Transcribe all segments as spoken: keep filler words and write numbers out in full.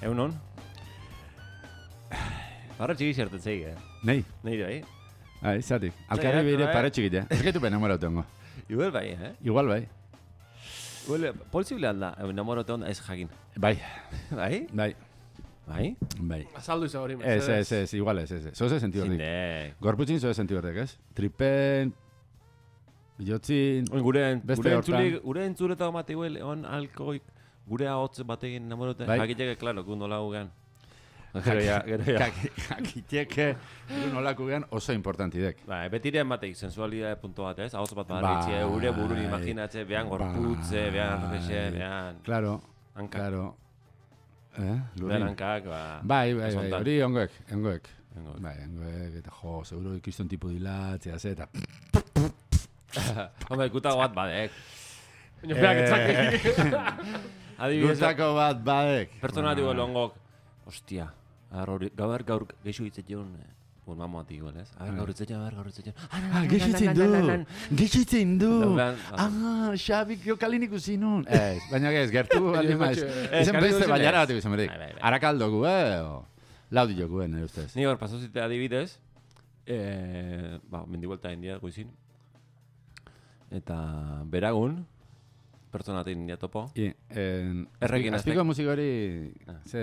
Egunon? Parra txiki zerten zeik, eh? Nei. Nei bai? Bai, zatik. Alkarri bire pare txikit, eh? Ez gaitu ben enamoratu hongo. Igual bai, eh? Igual bai. Igual, posible alda, enamoratu hongo ez jakin. Bai. Bai? Bai. Bai? Bai. Azaldu iza hori, Ez, ez, ez, igual ez, ez. Zoze sentidu hordik. Zinde. Gorputzin zoze sentidu hordik, ez? Tripen, bilotzin, Gure, beste gure hortan. entzule, gure entzuleta mate igual, on alkoik, gure ahotz batekin enamoratu. Bai. Jakiteke, klaro, kundu lau gean. Gero ya, gero ya. Jakiteke, nolako gean oso importantidek. Ba, betirean bateik, sensualidade punto bat, ez? Ahotz bat Bai. barritxe, gure burun imaginatze, behan gorputze, behan rexe, behan... Claro, Hankak. claro. Eh, Behan lurin. hankak, ba... Bai, bai, bai, Horizontal. hori ongoek, ongoek. Vengo. Bai, ongoek, eta jo, seguro ikriston tipo dilatzea, ze, eta... Hombre, gutago bat badek. Baina beak etzake. Adibidez, Gutako bat badek. pertsona digo longok, ostia, gaur gaur gaur geixo hitzetion, un mamoat igual, ez? A ber, gaur hitzetion, a ber, gaur hitzetion. Ah, gehitzen du, gehitzen du. Lan, Ah, Xabik jokalin ikusi nun. Ez, baina ez, gertu baldin maiz. Ez, Ezen Kalin beste ikusi baiara naiz. bat ikusen berdik. Bai, bai, bai. Arakaldo gu, eh? o Laudi joku, eh, nire ustez. Ni hor pasozite adibidez, eh, ba, mendibuelta india goizin. Eta beragun, pertsonatik india topo. I, en, Errekin azpiko musikori, ze...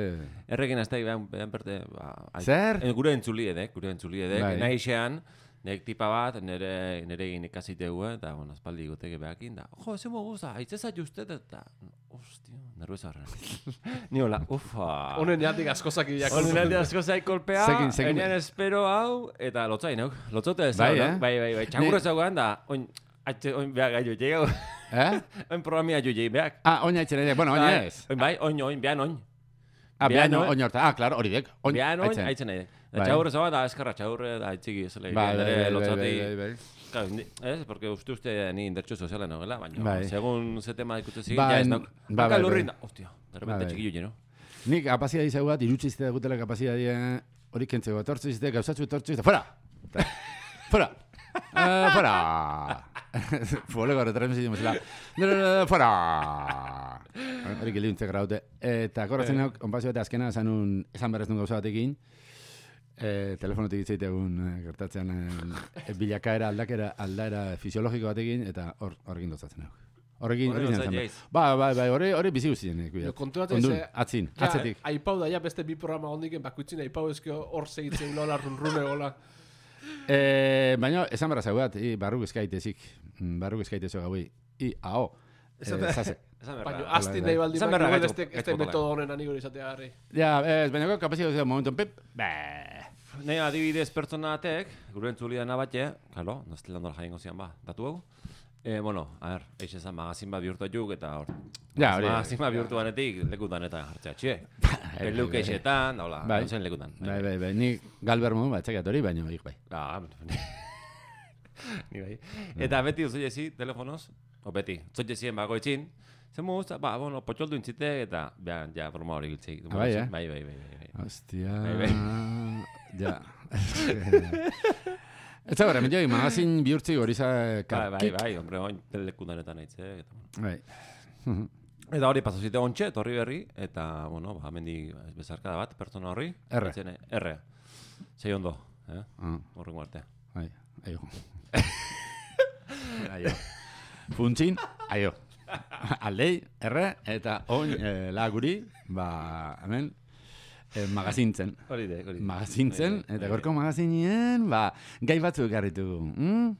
Errekin azteik behan, behan perte, ba... ai- Zer? eh, Gure entzuliedek, gure entzuliedek. Bai. Nahi xean, nek tipa bat, nere, nere egin ikasitegu, eta, bueno, aspaldi goteke behakin, da, jo, eze moguza, aitzeza justet, eta, ostia, nerviosa horren. Ni hola, ufa. Honen jatik askozak idiak. Honen alde asko zaik kolpea, Sekin, sekin. enean espero hau, eta lotzai nauk, lotzote ez Bai, hau, eh? bai, bai, bai, txangurra zaugan da, oin, atxe, oin behar gai joi jau, Eh? oin programia joi jei behak. Ah, oina etxera ere, bueno, oina ez. Oin bai, oin, oin, behan oin. Ah, Behan behan oin. oin horta. Ah, claro, hori dek. Oin, Behan oin, aitzen. aitzen nahi. Bai. Txagurra zaugan da, eskarra txagurre, da, aitziki ez lege, Bai, bai, nire bai, bai, lotzati. bai, bai, bai. Claro, ni- ez, porque uste uste ni indertxo soziala nogela, baina, Bai. segun ze tema ikutu zigin, Bai, ja ez nauk. bai, Baka bai, lurrin bai. da, hostia, de Bai, repente bai. txikillo lleno. Nik kapazia izau bat, irutxizte dagutela kapazia dien, hori kentzeko, etortzizte, gauzatzu etortzizte, fuera! Fuera! Eh, fuera! Fuoleko retrasen zitzen bezala. Fuera! Hori gildiuntze graute. Eta korratzen nauk, onpazio eta azkena esan un, esan berrez nun gauza batekin, eh, telefonotik itzaitegun eh, gertatzen eh, bilakaera, aldakera, aldaera fisiologiko batekin, eta hor, horrekin dozatzen nauk. Horrekin, Horre hori dotzat zen. jaiz. Ba, bai, bai, hori, hori bizi guztien. Jo, konturatzen Ondun, ze- atzin, Ja, atzetik. aipau da, ja beste bi programa hondiken, bakuitzin aipau ezkio hor segitzen lola, runrune gola. Eh, baina, esan barra zaugat, i, barruk eskaitezik, mm, barruk eskaitezo gaui, i, ao, eh, zase. Esan Baina, berra. aztin bai. nahi baldin, Esan baina, berra igual gaitz- este, gaitz este botala. metodo honen anigor izatea garri. Ja, ez, baina kapazio duzea momentu, pip, beh. Nei adibidez pertsona batek, gure entzulia nabate, claro, nazte landola jaingo zian ba, datu hau. Eh, bueno, a ver, eix esan magazin bat bihurtu juk, eta hor. Ja, hori. Magazin bat bihurtu banetik, lekutan eta jartzea, txie. Peluk eixetan, da hola, Bai. zen lekutan. Bai, bai, bai, ni galber modu bat txekat hori, baina hik bai. Ah, ni bai. Eta beti duzu jezi, telefonoz, o beti, zoit jezien bagoitzin, zen mu gusta, ba, bueno, potxoldu intzitek, eta, behan, ja, broma hori giltzik. Ah, bai, eh? Bai, bai, bai, bai, bai. Hostia, Bai, bai. ja. Ez da gara, menjoi, magazin bihurtzi hori za... Bai, bai, bai, hombre, oin lekutan eta nahitzek, eta, bueno. Bai. Eta hori pasazite ontxe, torri berri, eta, bueno, ba, mendi bezarkada bat, pertsona horri. R. Etzene, R. Zei ondo, eh? Ah, Horrengo arte. bai, aio. Aio. Funtzin, aio. Aldei, erre, eta oin eh, laguri, ba, hemen, eh, magazintzen. Hori de, hori de. Magazintzen, Bai, bai, eta bai. gorko magazinien, ba, gai batzuk garritu. Mm?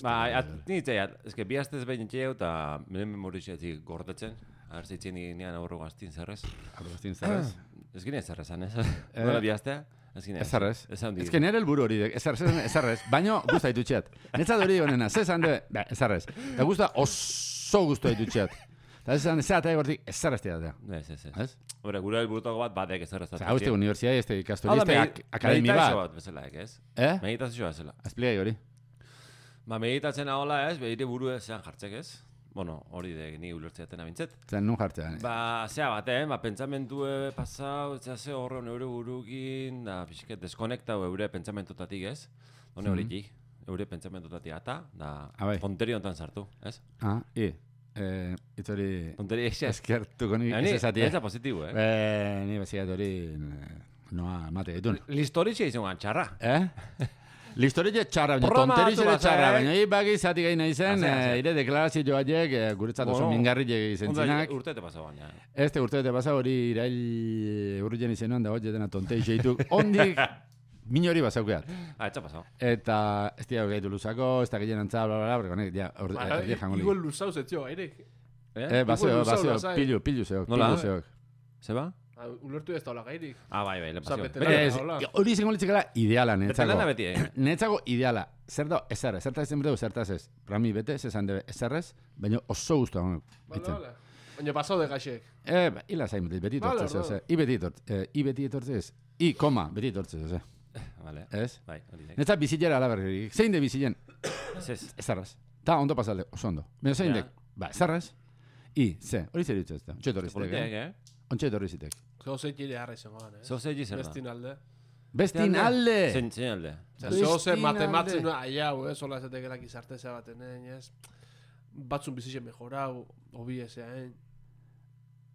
Ba, at, nintzea, ezke bi astez behin txeu, eta menen memorizatzik gordetzen. Aher zeitzen nian aurro gaztin zerrez. Arroztin zerrez. Ez gine zerrezan, ez? Nola bi astea? Ez gine. Ez zarrez. Ez handi. Ez que nire helburu hori, ez zarrez, ez zarrez. Baina guzta ditutxeat. Netzat hori honena, ze esan de, ba, ez zarrez. Eta guzta oso guztu ditutxeat. Eta ez esan, ez eta egortik, ez zarrez tiratea. Ez, ez, ez. Ez? Hore, gure helburutako bat badek ez zerrezat. Osa, hau este universidad, este ikastoriste, ak akademi Meditazio bat. bat bezala, ez? Eh? Meditazioa bezala. Azpligai hori. Ba, meditatzen ahola ez, behire buru zean jartzek ez. Bueno, hori de ni ulertzeaten abintzet. Zen nun jartzea. Ba, zea baten, ba, pentsamentue pasau, ez ze horren eure burukin, da, pixket, deskonektau eure pentsamentotatik ez. Hone hori Mhm. eure pentsamentotatik ata, da, Ah, bai. tonteri honetan sartu, ez? Ah, i. Eh, itzori... Tonteria eixer. Eskertuko nik Ni, ez esatie. ez da positibo, eh? Eh, ni bezigat hori... Noa, mate ditun. Listoritxe izan gan txarra. Eh? Listoritxe txarra, baina Programa tonteritxe hartu txarra, baza, eh? baina hi baki zati gai nahi zen, Azea, azea. eh, ire deklarazio haiek eh, guretzat oso Bueno, mingarri izen Onda, zinak. urte te pasa baina. Ez te urte te pasa hori irail urrien izenuan da hori dena tontei xeituk. Ondik minori bazaukeat. Ah, etxa pasao. Eta ez dira gaitu luzako, ez da gehien antza, bla, bla, bla, porque honek, ja, orde, Ba, ja, jango li. Igual luzauz etzio, gairek. Eh, baseo, Igual luzau baseo, lasai. pilu, pilu zeok, Nola? pilu zeok. Zeba? Ah, ulertu ez daula gairik. Ah, bai, bai, le Osa, pasio. bete- Beti- Ez, hola. hori izango litzekela ideala, Bete netzako. lana beti, eh? Netzako ideala. Zer da, ezer, ezertaz izan bedeu, zertaz ez. Rami bete, ez esan debe, ezerrez, baina oso guztua honek. Bale, bale. Baina pasau de gaixek. Eh, ba, hila zain, beti Vale, etortzez, vale. ose. I beti etortzez, eh, i beti etortzez. I, koma, beti etortzez, ose. Vale. Ez? Bai, hori da. Netzat bizitera alaberrik. Zein de bizilen? Ez ez. Ezerrez. Ta, ondo pasalde, oso ondo. Baina zein Ja. dek? Ba, ezerrez. I, ze, hori zer ditzen ez da. Ontsa etorri zitek, Politeak, eh? eh? Ontsa etorri zitek. Zeo zeitile harra izango gana, eh? Zeo zei zer da. Bestin alde. Bestin alde! Zein, zein alde. Osea, zeo ze Bestin matematzen alde. aiau, eh? Sola esatekela gizarteza baten, eh? Ez? Batzun bizitzen mejorau, hobi ezean.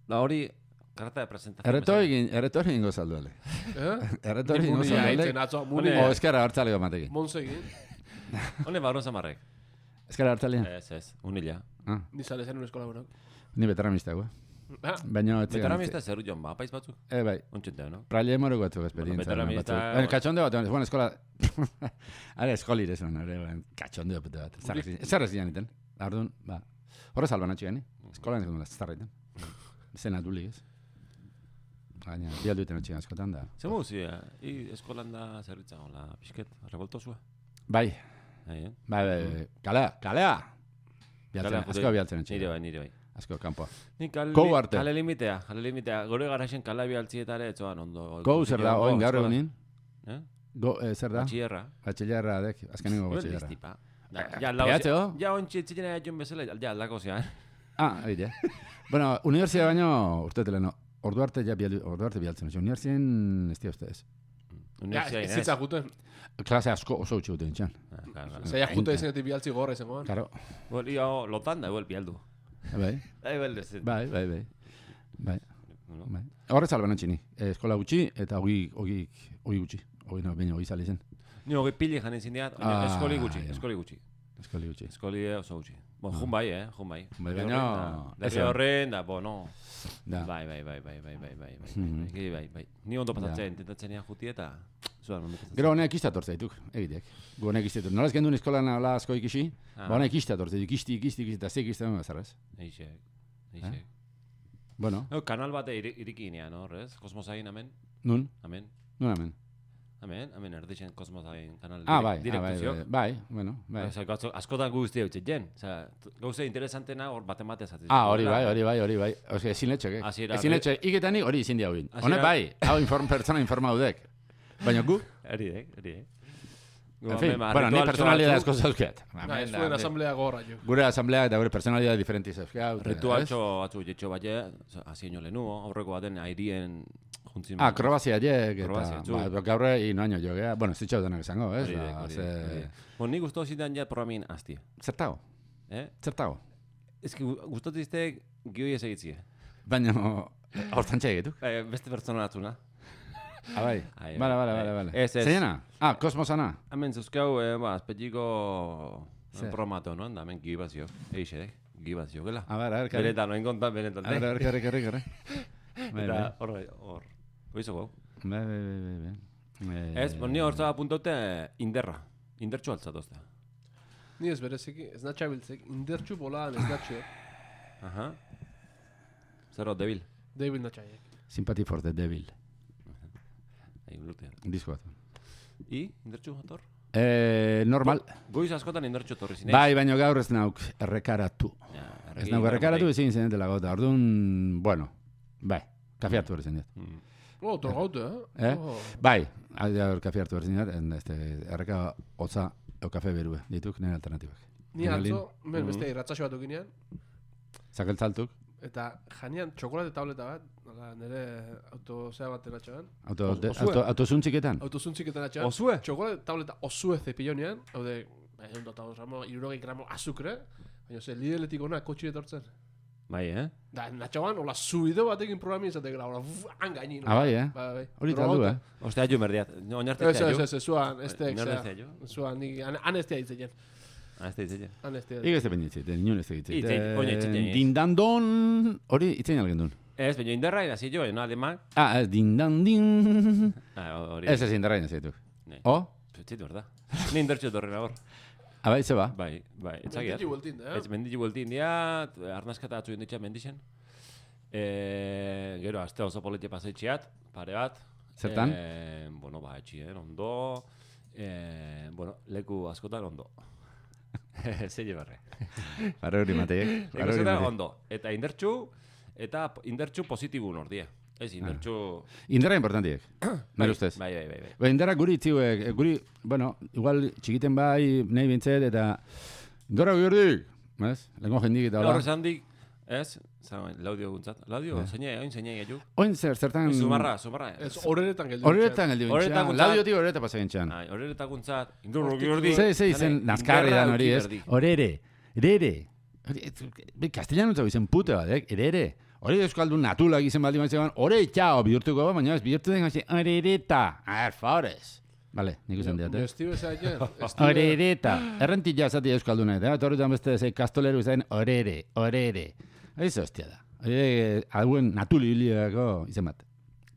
Da hori, karta de presentación. Erretori egin, erretori egingo salduale. Eh? Erretori Ni egingo munia salduale. eitzen atzo, muni. Hone- O, eskara hartzaleko matekin. Monsegin. Hone barron zamarrek. Eskara hartzalean? Ez, ez, unila. Ah, Ni sale zen un eskola buenak. ni beteramista, gue. Ah, Baina, ez Veteramista zer joan ba, paiz batzuk. Eh, bai. Ontxenteo, no? Praile moroko batzuk esperientzia. veteramista- batzuk. Baina, kachondeo bat, bueno, eskola... Are, eskolire zuen, are, baina, kachondeo pete bat. Zer ez zian iten. Ardun, ba. Horrez alban atxean, eskolan ez dut zarraiten. Zena duli, ez? Baina, bialdu iten atxean askotan da. Zer muzi, eh? I eskolan da zerritza gola, pixket, revoltosua. Bai, Bai, eh? bai, bai, bai. Kalea, kalea! Bialtzen, Kalea, asko bialtzen Nire atxean. bai, nire bai. Asko, kanpoa. Ni kale, Kou arte. kale limitea, kale limitea. Gore garaxen kala bialtzietare, etzoan ondo. Go, zer da, oin gaur egunin? Eh? Go, eh, zer da? Batxierra. Batxillarra, dek, azkenengo Hori batxillarra. listipa. Da, Eh, Ja, aldako pegatzeo? Ja, ontsi etzitzen egin bezala, ja, aldako zean. Ah, egite. Bueno, universia baino, urtetele, no. Ordu arte ja bialdu, ordu arte bialtzen. Universien, ez dira ustez. ja, Universia ez inez. zitza juten. Klase asko oso utxe duten txan. Ah, claro, claro. Zaila jute izenetik bialtzi gorra izango gana. Karo, Bueno, yo lotan da, igual pialdu. bai, Da, igual ez. bai, bai, bai. Bai, No? bai. Horrez alban antxini. Eh, eskola gutxi eta hogi, hogi, hogi gutxi. Hogi, no, baina hogi zali zen. Ni hogei pili janen zindiat, Ah, eskoli gutxi, ja. eskoli gutxi. Eskoli gutxi. Eskoli oso gutxi. Bon, jun bai, eh, jun bai. Bai, Derri baina- horren da, derri ez- horren da, bueno. Da. Bai, bai, bai, bai, bai, bai, bai, bai, Mhm. bai, bai, bai. Ni ondo Ja. pasatzen, intentatzen ean juti eta zuan ondo pasatzen. Gero honek istator zaituk, egiteak. Gu honek istator. Nola ez gendun eskolan ala asko ikisi, Ah. ba honek istator zaituk, ikisti, ikisti, ikisti, eta zik istator zarraz. Eixek, Eh? eixek. Bueno, No, kanal bate iri- iriki inean, hor, ez? Kosmosain, amen, nun, amen, nun hemen. amen, amen, erdixen Kosmosain kanal Ah, direk- bai, ah, bai, direktuziok. bai, bai, bueno, bai. Osa, gauzo, askotan guzti hau jen. Osa, gauze interesantena hor batemate zaten. Ah, hori bai, hori bai, hori bai. Oske, ezin letxek, eh? Hasiera- Ezin letxek, iketanik hori izin dia huin. Hasiera- Honek bai, hau inform, pertsona informaudek. Baina gu, Hori dek, hori dek. en fin, bueno, ni personalidad asko zauzket. Na, ez zuen asamblea gorra jo. Gure asamblea eta gure personalidad diferenti zauzket. Ritualtxo atzu jetxo baie, hasi ino lehenu, aurreko baten airien juntzin. Ah, Kroazia jek, eh, eta Kroazia, zu. ba, gaur ino año jo, gea. Bueno, zitxau denak esango, ez? Hori dek, Ba, hori ze- dek, hori dek. Bon, ni guztu zidan ja programin azti. Zertago, Eh? zertago. Ez ki guztatu izte gioi ez egitzie. Baina, hortan txegetuk. Eh, beste pertsona atzuna. Ah, bai. Ai, Bale, bai, bale, bai. bale, bale. Ez, ez. Zeinena? Ah, kosmosana. Hemen zuzkau, eh, ba, azpetiko Zer? programato, no? Da, hemen gioi bazio. Eixe, dek, gioi bazio, gela. A ber, a ber, karri. Benetan, noin kontan, benetan. A ber, a ber, karri, karri, karri. Bai, Eta bai. hor, hor, oizo gau. Bai, bai, bai, bai, bai. Eh, Ez, bon, ni hor zaba apuntaute inderra. Indertxo altzatozta. Ni ez berezeki, ez natxa biltzek, indertxu bolaan ez natxo. Aha. Zer hor, debil. David natxaiek. Sympathy for the Devil. Ei, urtea. Disko bat. I, indertxu jator? Eh, normal. Goiz askotan indertxo torri zinez. Bai, baina gaur ez nauk errekaratu. Ja, Ez nauk errekaratu ezin zen dela gota. Orduan, bueno, bai, kafe hartu berzen dut. Mm. Oh, torgaute, eh? Eh? Oh. Bai, gaur kafe hartu berzen dut, en este, erreka hotza o kafe berue, dituk nire alternatibak. Ni atzo, men beste irratzaxo bat ukinean, Zakeltzaltuk, eta janian txokolate tableta bat, nola, nire autozea bat atxoan, auto, Os- de, osue. auto, autozuntziketan. autozuntziketan atxoan, Osue? txokolate tableta osue zepillonean, hau de, Ehun eta bost gramo, hirurogei gramo azukre, baina ze lideletik ona kotxi etortzen. Bai, eh? Da, natxauan, hola subido batekin programi izatekela, hola, hangaini. Ah, bai, eh? Bai, bai. Hori taldu, eh? Ostea jo merdiat. Oinarte Ez, zea ez, jo. ez, ez, zuan, estek, Nor zea. ez jo? Zuan, nik, anestia ditzen. Ah, ez da itzela. Anestia. Ig ez da penditzit, nion ez da Itzein, ditzit. oina itzein, ez. Dindandon, hori itzein algen duen. Ez, baina indarra inazi jo, no, ademak. Ah, ez, dindandin. Ah, hori. Ez ez indarra inazitu. Ne. O? Zitu, berda. Ni indartxo torren agor. Ah, bai, ze ba? Bai, bai, etzagiat. Menditxi bueltin, eh? Ez menditxi bueltin dia, arnaskata atzu inditxa mendixen. E, gero, aste oso politia pasaitxiat, pare bat. Zertan? E, bueno, ba, etxien, ondo. E, bueno, leku askotan ondo. Zeile barre. Para hori mateek. Leku Para hori askotan mateek. ondo. Eta indertxu, eta indertxu positibun ordie. Ez, indertxu... Indarra importantiek, nire ustez. Bai, bai, bai, bai. Ba, indarra guri itziuek, guri, bueno, igual txikiten bai, nahi bintzet, eta indarra gurdik, ez? Lengo jendik eta hola. Horrez handik, ez? Zagoen, laudio guntzat. Laudio, zeine, oin zeine gaitu. Oin zer, zertan... Zumarra, zumarra. Ez, horeretan geldi. Horretan geldi Horretan bintxan, guntzat. laudiotik horreta pasa gintxan. Ai, horretak guntzat, indurro giordi. Zei, zei, zen, nazkarri dan hori, ez? Horere, erere. Castellano zau izen pute bat, eh? Erere. Hori euskaldun natulak izen baldin bat zegoen, hore itxao bihurtuko ba, baina ez bihurtu den gazi, horereta, a ver, favores. Vale, nik usan diat, eh? Estiu ezaien. Horereta. Errentilla zati euskalduna, eta torri dan beste zei kastoleru zen, horere, horere. Hori hostia da. Hori hauen natuli hiliako izen bat.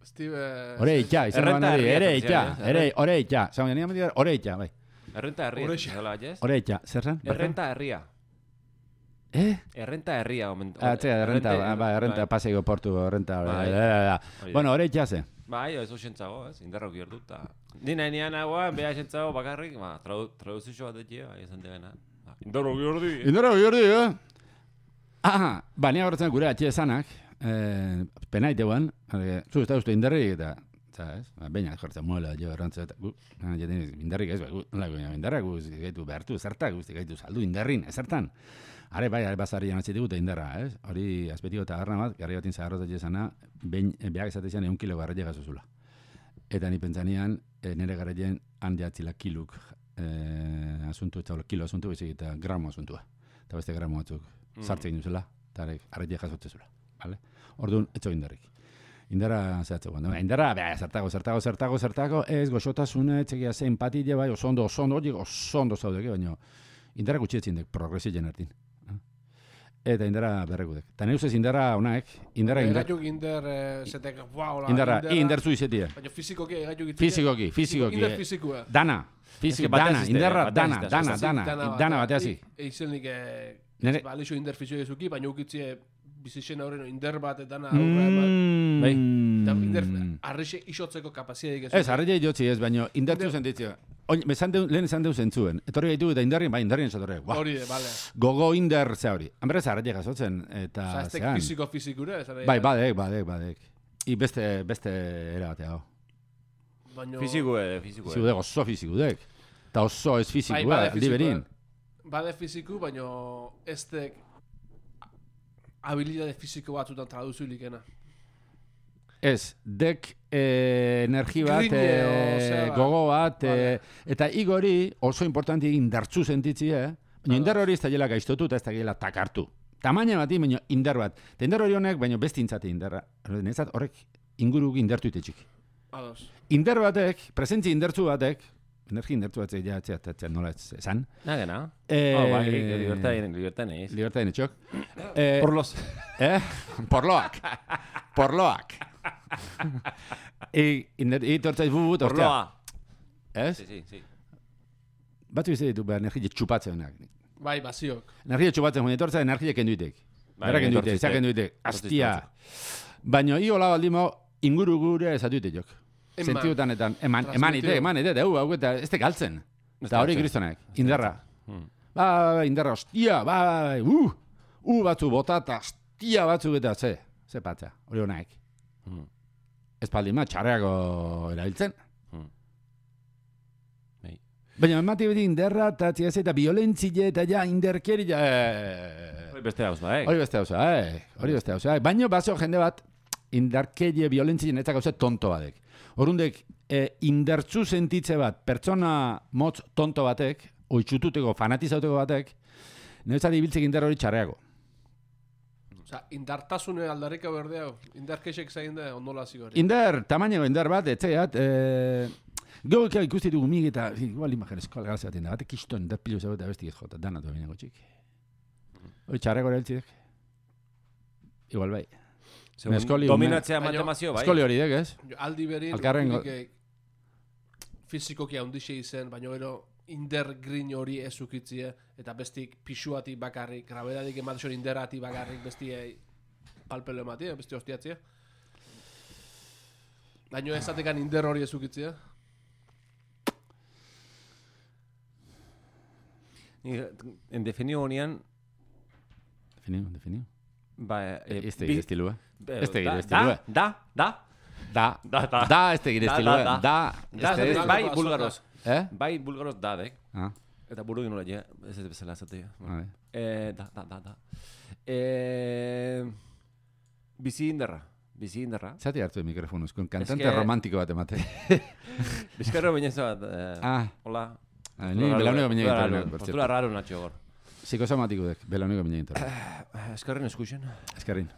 Estive... Hore itxa, izan Errenta ban hori, herria ere etortzea, itxa, eh? ere, hore itxa. Zauen, nire amatik hore itxa, bai. Errenta herria. Horexa. Zola, ez? Hore itxa, zer zen? Errenta herria. Eh? Errenta herria, omen. Ah, txea, errenta, ba, errenta, paseko portu, errenta, Bai. Hori. bueno, hore itxa ze. Bai, ez osentzago, ez? Indarra giordu, eta... Ni nahi nian hagoa, beha esentzago bakarrik, ba, tradu, traduzio bat etia, bai, esan degena. Indarra giordi. Indora biordi, eh? Ah, ba, nia horretzen gure atxe esanak, eh, penaitean, zu ez da uste indarrik eta, ¿sabes? Ba, baina jortzen muela, jo, errantzea, eta gu, ah, jaten indarrik ez, ba, gu, nola, gu, indarrak guzti gaitu behartu, zertak, guzti gaitu saldu indarrin, ezertan. Are bai, are basarri janatzi digute indarra, ez? Hori, azpetiko eta garra bat, garri batin zaharrotat esana, behin, behak esatezian egun kilo garraile gazuzula. Eta ni pentsanian, e, nire garrailen handiatzila kiluk e, asuntu, eta kilo asuntu, bezik eta gramo asuntua. Eta beste gramo batzuk sartzen duzela, eta garraile jasotzezula. Vale? Orduan, etxo indarrik. Indarra zehatzeko. Indarra, beha, zertago, zertago, zertago, zertago, ez, goxotasune, txekia ze empatia, bai, oso ondo, oso ondo, horiek oso ondo zaudeke, baina indarra gutxietzin dek, progresien ertin. Eta indarra berrekudek. Eta nire ustez indarra honaek, indarra indar... Egaituk inder, zetek, wow, la, Indarra, indartzu izetie. Baina fizikoki egaituk itzia. Fizikoki, fizikoki. Inder fizikoa. Dana, fiziko, batez dana, izte, indarra, batez dana, izte, dana, Zazin dana, dana bateazi. Eizenik, Nere- ba, alixo inder fizio ezuki, baina ukitzie bizixen aurreno inder bat dana aurra eman. Bai. Eta inder, Mm. arrixe isotzeko kapaziadik ez. Ez, arreia jotzi ez, baina indartzu Inder- zenditzio. Oin, bezan deu, lehen esan deu zentzuen. Etorri gaitu eta indarrin, bai, indarrin esatorre. Wow. Hori, bale. Gogo indar ze hori. Hanberez arreia jasotzen, eta Osa, ez tek zean. fiziko fizikura, ez Bai, badek, badek, badek. I beste, beste era batea. Baina... Fizikue, fizikue. Fizikudek, oso fizikudek. Eta oso ez Bai, fizikua, bade aldi berin. fizikoa. Bade fiziku, baina ez tek habilidade fiziko batzutan traduzulikena. Ez, dek eh, energi bat, Grine, eh, osea, gogo bat, vale. eh, eta igori oso importanti indartzu sentitzi, eh? Baina indar hori ez da gela gaiztotu eta ez da gela takartu. Tamaina bati, baina indar bat. Eta indar hori honek, baina beste intzati indarra. Nezat horrek inguruk indartu itetxik. Ados. Indar batek, presentzi indartzu batek, energi indartzu batek, ja, txea, txea, nola ez esan. Nagena. Eh, Oh, bai, libertaden, libertaden eiz. Libertaden etxok. Eh, Por los... Eh? Porloak. Porloak. I, inder, i tortzaiz bubut, Por ostia. loa. Ez? Sí, sí, sí. Batu izan ditu behar energia txupatzenak. Bai, baziok. Energia txupatzen, joan etortza energia kenduitek. Bai, Berra kenduitek, etortzizte. za kenduitek. Etortzizte, Astia. Baina hi hola baldimo inguru gure esatuite jok. Eman. Sentiutan etan, eman, eman ite, Transmitido. eman ite, eta hu, hau eta ez te galtzen. Ez Eta hori galtzen. kristonek, indarra. Hmm. Ba, ba, indarra, ostia, ba, ba, ba, uh, uh, batzu bota eta ostia batzuk eta ze, ze patza, hori honaek. Hmm. Ez paldima txarreako erabiltzen. Hmm. Bai. Baina emati beti inderra eta txiaz eta violentzile eta ja inderkeri ja... eh, Hori beste hauz ba, eh? Hori beste hauza, eh? Hori beste hauza, eh? Baina bazo jende bat indarkerie violentzile eta gauza tonto batek. Horundek, eh, indartzu sentitze bat, pertsona motz tonto batek, oitxututeko, fanatizauteko batek, niretzat ibiltzek indar hori txarreago. Osa, indartasune aldarrika berdea, indarkexek zain da, ondola zigori. Indar, tamaino indar bat, etzaiat, e, gau ikusti dugu mig eta, igual imagen eskola galazi baten da, batek kiston, indar pilo zago eta bestik ez jota, danatu abinako txik. Hori txarreko ereltzidek. Igual bai. Dominatzea matemazio, bai. Eskoli hori dek, ez? Aldi berin, Alkarren fizikoki handixe izen, baina gero inder grin hori ez ukitzie, eta bestik pixuatik bakarrik, grabedadik ematzen inderratik bakarrik bestie palpelo ematie, bestie hostiatzea. Baina ezatekan inder hori ez ukitzie. En definio honean... Definio, definio. Ba, eh, este gire estilua. Este gire da, estilua. Da, da, Da, da, da, da, este gire estilua. Da, da, este da, bai, bulgaroz. Eh? Bai, bulgaroz dadek. Ah, Eta buru gino lehia, ez ez bezala ezatea. vale. Eh, da, da, da, da. Eh, bizi inderra, bizi inderra. Zati hartu de mikrofonuz, con cantante que- romantiko bat emate. Bizkarro baina bat, eh, Ah, hola. ah, ni belauneko bine Postura gintorren, raro, por postura cierto. raro natxo gor. Psikosomatiko dek, belauneko bine gintorren. Eskarren eskuixen, Eskerrin.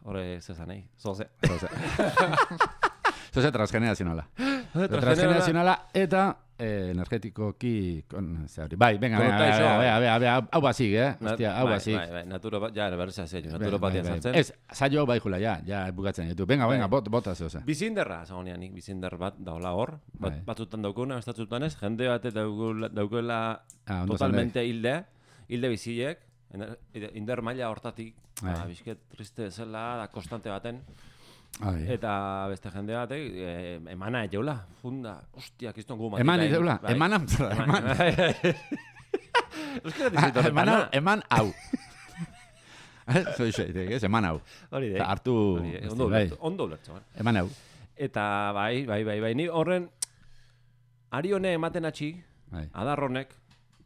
horre zezanei, zoze. Zoze. Zoze transgenerazionala. Transgenerazionala eta eh, energetikoki kon, zeari. Bai, venga, venga, venga, Konotaixo, venga, venga, venga, hau basik, eh? Na- Hostia, hau bai, basik. Bai, bai, naturopa, ja, berreza zein, Bai, naturopatia bai, bai. sartzen. Ez, saio bai jula, ja, ja, bukatzen ditu. Venga, venga, Bai. bot, bota zeoza. Bizinderra, zagoneanik, bizinder bat daola hor. Bat, Bai. batzutan daukuna, estatzutan ez, jende bat daukula, daukela Ah, ondo totalmente hilde, hilde bizilek, ener- inder maila hortatik, Bai. ba, bizket triste zela, da konstante baten, Ai. eta beste jende batek, eh, emana egeula, funda, ostia, kiston gu matik. Eman bai, ideula, bai. eman amtzara, eman. Euskara Ah, dizitu, Eman hau, eman hau. Zoi xeitek, ez, eman hau. hori Eta de. hartu, Hori de, hostia, ondo bai. ulertu, ondo ulertu, bai. Eman hau. Eta bai, bai, bai, bai, ni horren, ari hone ematen atxi, Bai. adar honek,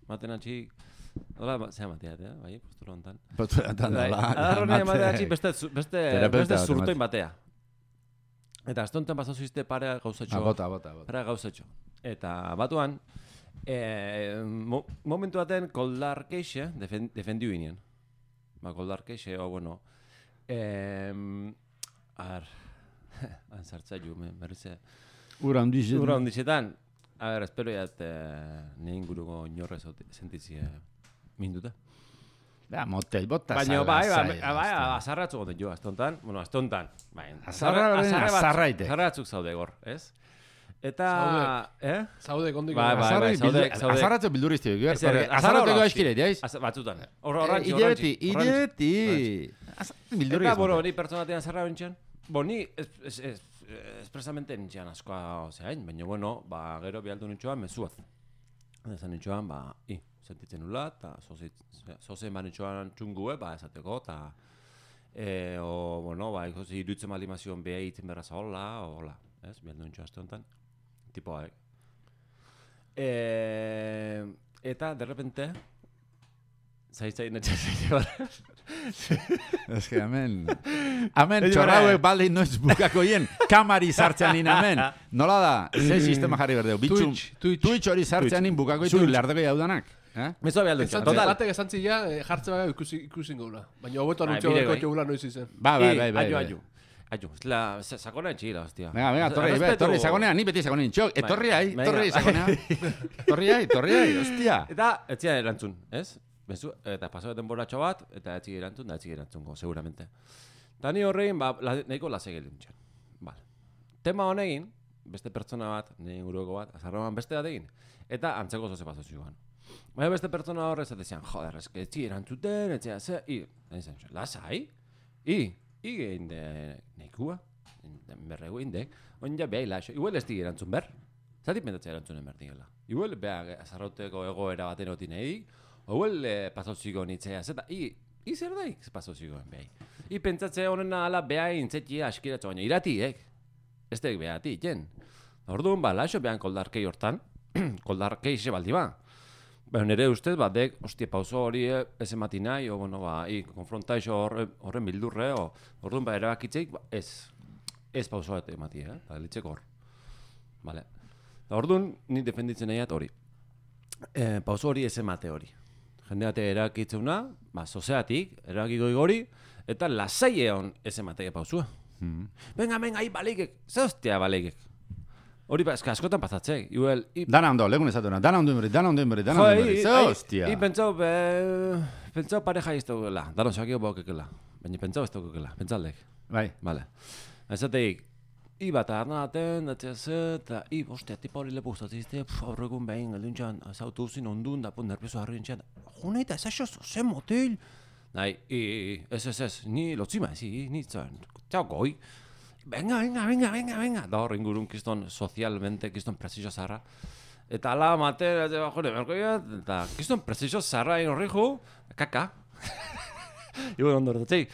ematen atxi, hola, ba- zea matea, eh, bai, postura hontan. Postura hontan Bai, dola. adar honek ematen emate- atxi beste, zu- beste, Terapeuta beste bat zurtoin ematen. batea. Eta astonten bazazuzte parea gauzatxo. Ah, bota, bota, bota. Parea gauzatxo. Eta batuan, eh, mo, momentu baten koldar keixe, defen, defendiu inen. Ba, koldar keixe, o, bueno, eh, ar, antzartza ju, me, merrize. Ura handiz. Ura onditxetan, a ber, espero jat, eh, ne inguruko inorre sentitzi eh, minduta. Ba, motel, bota Baina, salga bai, bai, zaila, bai, hostia. azarratzu goten jo, astontan, bueno, astontan, bai, Azarra beren bat- azarraite. azarratzuk zaude gor, ez? Eta, eh? Zaude kondiko. Bai, bai. Azarra zaude- bildu- zaude- azarratzu bildurizti. Ez, ez, azarra Azarrateko hola, eskire, jaiz? Az- batzutan, hor horrantzi, Ilebeti, horrantzi, horrantzi. ilebeti. Azarratzu bildurizti. Eta, bueno, hori pertsonatean zarra bentxan, bo, ni es, es, es, espresamente nintxean askoa zehain, baina, bueno, ba, gero bialdu nintxoan mezuaz. Ezan nintxoan, ba, i, sentitzen nula, eta zozen ba nintxoan txungue, ba, esateko, eta, e, o, bueno, ba, ikozi iruditzen bali mazion beha hitzen berra zahola, o, hola, ez, bialdu nintxoan azte honetan, tipo, haek. E, eta, de repente, zaitzai netxazik bara. Ez que, amen. Amen, Ez txorrauek bara. baldin noiz bukako hien, kamari sartzean in, amen. Nola da, ze sistema jarri berdeu, bitxun. Twitch, Twitch. Twitch hori sartzean in bukako ditu Twitch. lardeko jaudanak. Eh? Mezoa bialdu nintxoan, Esantzi, total. batek esantzi ja, eh, jartze baga ikusi, ikusin gaula. Baina hobeto Bai, anuntzio bide berko bai. txegula noiz izen. Ba, bai, bai, bai. Aio, bai. aio. Aio, ez la, sa- sakona etxila, hostia. Venga, venga, torri, be, Errespetu- torri, sagonea, ni beti sagonein, txok, Bai, etorri ai, venga. torri, sagonea. Torri ai, torri ai, hostia. Eta, etzia erantzun, ez? Bezu, eta pasau denboratxo bat, eta etxik erantzun, da etxik erantzungo, seguramente. Eta ni horrein, ba, la, nahiko lasek egin txan. Vale. Tema honegin, beste pertsona bat, nire inguruko bat, azarroan beste bat egin, eta antzeko zoze pasau zioan. Baina beste pertsona horre esatezian, joder, eske etxik erantzuten, etxia ze, i, da izan zuen, lasai? I, i gehin de, nekua, berregu indek, on ja behai laixo, igual ez di erantzun ber, zati pentatzea erantzunen ber digela. Igual beha azarrauteko egoera baten otin edik, igual eh, pasauziko nitzea, zeta, i, i zer daik pasauzikoen behai. I pentsatzea honen ala beha intzetia askiratzu, baina iratiek, ez dek behati, jen. Orduan, ba, laixo behan koldarkei hortan, koldarkei xe baldi ba. Baina nire ustez, ba, dek, ostia, pauso hori eh, ez emati nahi, o, bueno, ba, i, konfrontaixo horre, horren bildurre, o, orduan, ba, erabakitzeik, ba, ez, ez pauso bat emati, eh, eta litzeko hor. Vale. Eta orduan, ni defenditzen nahiat hori. eh, pauso hori ez emate hori. Jende bate erakitzeuna, ba, sozeatik, erakiko igori, eta lasai egon ez emate pausua. Mm. Venga, venga, hi baleikek, ze hostia baleikek. Hori ba, eska askotan pasatzek. Igual, i... Dana ondo, legun esatuna, dana ondo inberi, dana ondo inberi, dana Jo, ondo inberi, i- ze ai- hostia. I pentsau, be... pentsau pareja izteukela. Daron sakio baukekela. Baina pentsau ez daukekela, pentsaldek. Bai, Vale. Ezateik, i bat arnaten, datzez, eta i, ostia, tipa hori lepo gustatzizte, aurregun behin, alduntxan, zautu zin ondun, da, pun, nervioso harri entxan, joneita, ez aixo, zen motel. Nahi, i, i, ez, ez, ez, ni lotzima, ez, i, ni, zan, txau goi. Venga, venga, venga, venga, venga. Da hor ingurun kiston sozialmente, kiston presizio zarra. Eta ala mate, jone, berkoia, eta kiston presizio zarra egin horri ju, kaka. Igo ondo horretzeik.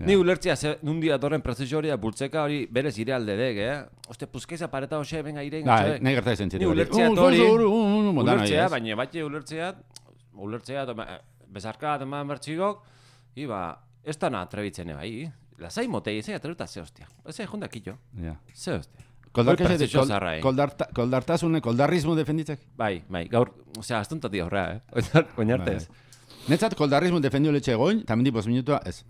Ni ulertzea, ze nundi atorren presizio hori, bultzeka hori berez ire alde dek, eh? Oste, puzkeiza pareta hoxe, venga, ire bai, ingotxe. nahi gerta izan Ni txetik. ulertzea hori, ulertzea, baina batxe ulertzea, ulertzea, bezarka, eman bertxigok, iba, ez da na trebitzen bai, lasai motei, ez atrebuta ze hostia. Ez jonda killo, Ja. ze hostia. Koldarkesete, presizio zarra, eh? koldarta, koldartasune, koldarrismo defenditzek? Bai, bai, gaur, osea, astuntati horrea, eh? Oinarte ez. Netzat koldarrismo defendio letxe goin, tamen dipos minutua, ez.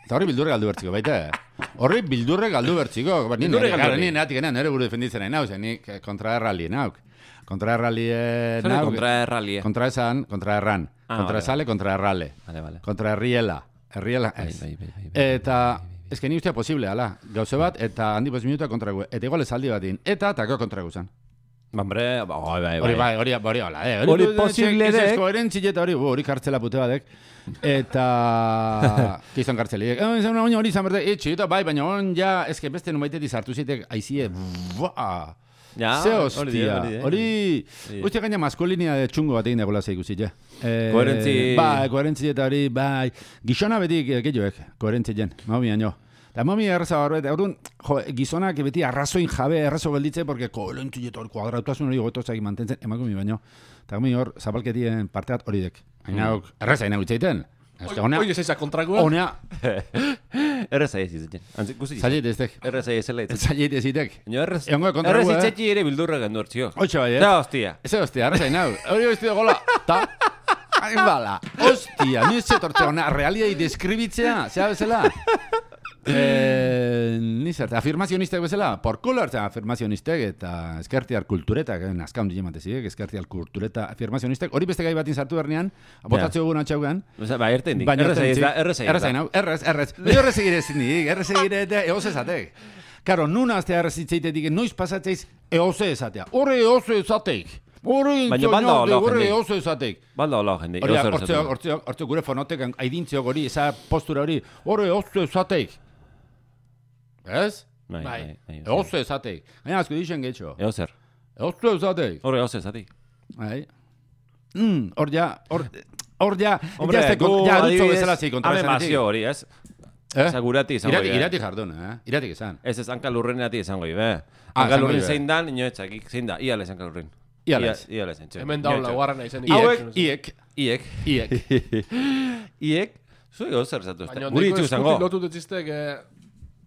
Eta horri bildurre galdu bertziko, baita, eh? Horri bildurre galdu bertziko. Ba, ni Bildurre nire- galdu gara, berri. ni neatik nire buru defenditzen nahi nauz, eh, nik eh, kontra errali nauk. Kontra errali eh, Zer nauk. kontra erralie. Kontra esan, kontra erran. Ah, Kontra vale, esale, kontra errale. Vale, vale. Kontra herriela. Herriela, Bai, ez. bai, bai, bai, bai, Eta, ez que ni ustea posible, ala. Gauze bat, eta handi bost minutua kontra gu. Eta igual esaldi batin. Eta, tako kontra gu zan. Hombre, bai, bai, Hori bai, hori, hori, hola, eh. Hori du- posible ez- ez dek. koherentzi eta hori, bu, hori kartzela pute badek. Eta, kizan kartzeli. Eh, izan una hori izan berde, etxe, eta bai, baina on ja, eske beste numaitetik sartu zitek, aizie, buah. Ja, Ze hori die, hostia, hori die. hori, die. uste gaina maskulinia de txungo bat egin dagoela zeikusi, ja. Eh, Koherentzi- Bai, koherentzi eta hori, bai, gizona betik, eh, gehiagoek, koherentzi jen, mami baino. Eta mami erraza barret, orduan, jo, gizonak beti arrazoin jabe, arrazo gelditze, porque koherentzi eta hori kuadrautasun hori gotozak mantentzen, emakume baino. Eta gumi hor, zapalketien parte bat hori dek. Hainauk, erraza hainauk itzaiten. Oie zeiza kontrakoa. Honea, Erreza ez izaten. Antzik, guzi izan. zailet ez dek. Erreza ez zela izaten. Zailet ez itek. Baina errez, Egongo kontra errez gu, eh? itzetxi ere bildurra gendu hortzio. Hoxe bai, eh? Da, hostia. Ez hostia, arraza hainau. Hori hostia gola, ta, hain bala. Hostia, ni ez zetortzea, ona, realiai deskribitzea, zea bezala. Eh, ni zerte, afirmazionistek bezala, porkulo hartzen afirmazionistek eta eskertiar kulturetak, eh, nazka hundi jematezidek, eskertiar kultureta afirmazionistek, hori beste gai batin sartu bernean, botatzeo egun atxaugan, Osa, ba, erten dik. baina Erreza ez da, erreza ez errez da. hau, errez, errez. Baina errez egire zindik, errez egire eta eoz ezatek. Karo, nuna aztea errez itzeitetik, noiz pasatzeiz eoz ezatea. Horre eoz ezatek. Horre Baina balda hola horre jende. eoz ezatek. Balda hola jende. Hori, eozer hortzeo, esaten. hortzeo, hortzeo gure fonotek aidintziok hori, eza postura hori, horre eoz ezatek. Ez? Bai, Bai. bai, bai. Eoz ezatek. Gaina asko dixen getxo. Eozer. Eoz ezatek. Horre eozer zatik. Bai. Mm, hor ja, hor, hor ja, Hombre, ja, gu ja, dutzo adibidez, bezala zi kontra ame esanetik. mazio hori, ez? Eh? Zagurati izango Irati, dira. irati jardun, eh? Iratik esan. Ez ez, hanka lurrenati izango ibe. Ah, Hanka esango lurren ibe. zein dan, inoetzakik zein da. Iales hanka lurren. Iales. Ia- Iales, entxe. Hemen daun Inoetzak. laugarrena izen. Iek, iek, Iek. iek. Iek. Zu eozer zatu. Baina Guri nahiko itxu eskutik zango. lotu dutziztek, eh,